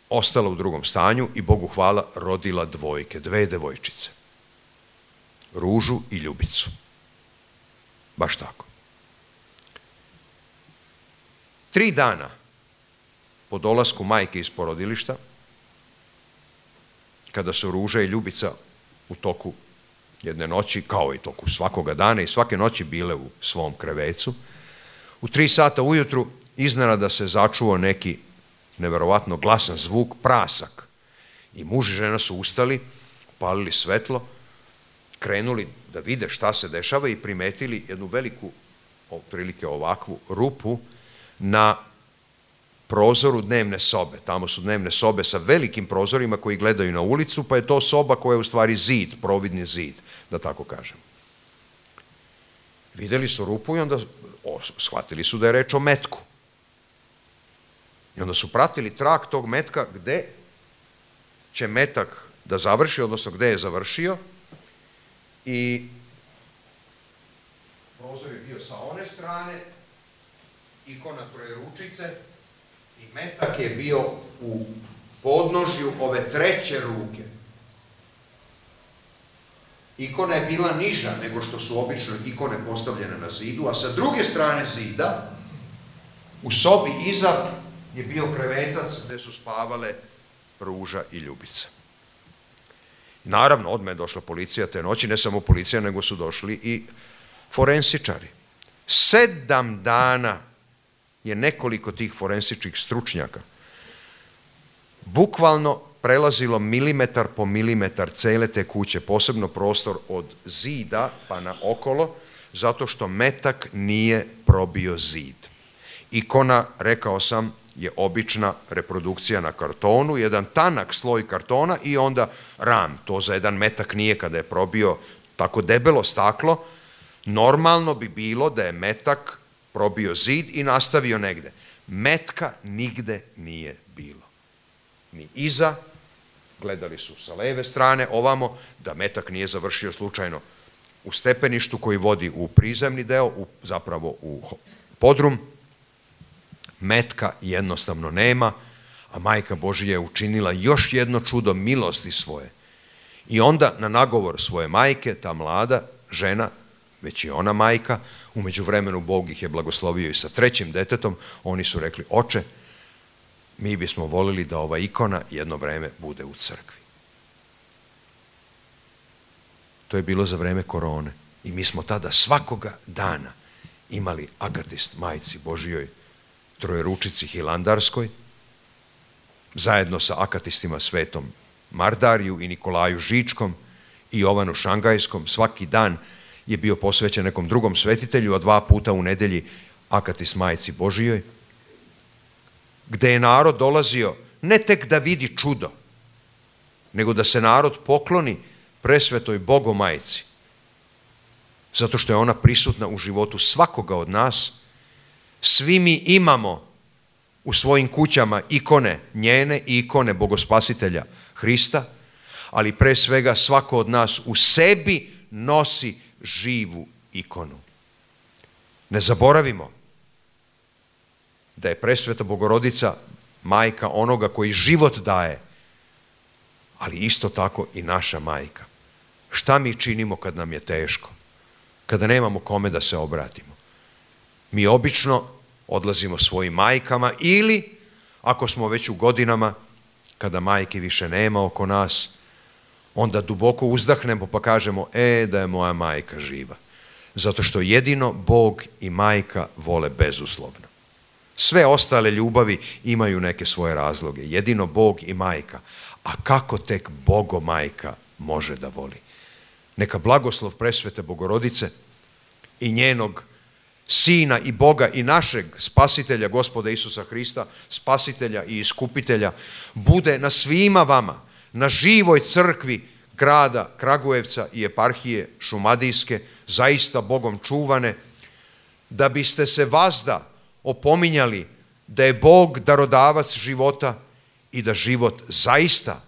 ostala u drugom stanju i Bogu hvala rodila dve devojčice. Ružu i Ljubicu. Baš tako. 3 dana po dolasku majke iz porodilišta, kada su Ruža i Ljubica u toku jedne noći, kao i toku svakoga dana i svake noći bile u svom krevecu, u 3 sata ujutru iznenada se začuo neki neverovatno glasan zvuk, prasak. I muž i žena su ustali, palili svetlo, krenuli da vide šta se dešava i primetili jednu veliku, otprilike ovakvu rupu na prozoru dnevne sobe. Tamo su dnevne sobe sa velikim prozorima koji gledaju na ulicu, pa je to soba koja je u stvari zid, providni zid, da tako kažem. Videli su rupu i onda shvatili su da je reč o metku. I onda su pratili trag tog metka gde će metak da završi, odnosno gde je završio, i prozor je bio sa one strane, ikona Trojeručice, i metak je bio u podnožju ove treće ruke. Ikona je bila niža nego što su obično ikone postavljene na zidu, a sa druge strane zida U sobi iza je bio krevetac gdje su spavale Ruža i Ljubica. Naravno, odmah je došla policija te noći, ne samo policija, nego su došli i forensičari. 7 dana je nekoliko tih forensičkih stručnjaka bukvalno prelazilo milimetar po milimetar cele te kuće, posebno prostor od zida pa na okolo, zato što metak nije probio zid. Ikona, rekao sam, je obična reprodukcija na kartonu, jedan tanak sloj kartona i onda ram. To za jedan metak nije kada je probio tako debelo staklo. Normalno bi bilo da je metak probio zid i nastavio negde. Metka nigde nije bilo. Ni iza, gledali su sa leve strane ovamo, da metak nije završio slučajno u stepeništu koji vodi u prizemni deo, zapravo u podrum. Metka jednostavno nema, a Majka Božija je učinila još jedno čudo milosti svoje. I onda na nagovor svoje majke, ta mlada žena, već i ona majka, u međuvremenu Bog ih je blagoslovio i sa 3. detetom, oni su rekli: oče, mi bismo volili da ova ikona jedno vreme bude u crkvi. To je bilo za vreme korone i mi smo tada svakoga dana imali akatist Majci Božijoj Trojeručici Hilandarskoj, zajedno sa akatistima Svetom Mardariju i Nikolaju Žičkom i Jovanu Šangajskom. Svaki dan je bio posvećen nekom drugom svetitelju, a 2 puta u nedelji akatist Majci Božijoj, gde je narod dolazio ne tek da vidi čudo, nego da se narod pokloni presvetoj Bogomajci, zato što je ona prisutna u životu svakoga od nas. Svi mi imamo u svojim kućama ikone njene i ikone Bogospasitelja Hrista, ali pre svega svako od nas u sebi nosi živu ikonu. Ne zaboravimo da je presveta Bogorodica majka onoga koji život daje, ali isto tako i naša majka. Šta mi činimo kad nam je teško, kada nemamo kome da se obratimo? Mi obično odlazimo svojim majkama ili, ako smo već u godinama, kada majke više nema oko nas, onda duboko uzdahnemo pa kažemo: da je moja majka živa. Zato što jedino Bog i majka vole bezuslovno. Sve ostale ljubavi imaju neke svoje razloge. Jedino Bog i majka. A kako tek Bogomajka može da voli? Neka blagoslov presvete Bogorodice i njenog Sina i Boga i našeg Spasitelja, Gospoda Isusa Hrista, Spasitelja i Iskupitelja, bude na svima vama, na živoj crkvi grada Kragujevca i eparhije Šumadijske, zaista Bogom čuvane, da biste se vazda opominjali da je Bog darodavac života i da život zaista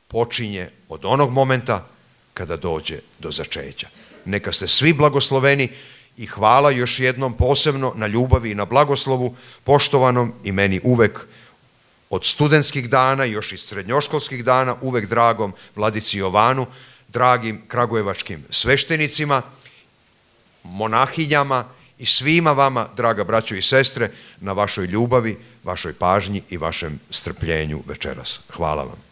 počinje od onog momenta kada dođe do začeća. Neka ste svi blagosloveni i hvala još jednom posebno na ljubavi i na blagoslovu poštovanom i meni uvek od studentskih dana, još iz srednjoškolskih dana, uvek dragom Vladici Jovanu, dragim kragujevačkim sveštenicima, monahinjama i svima vama, draga braćo i sestre, na vašoj ljubavi, vašoj pažnji i vašem strpljenju večeras. Hvala vam.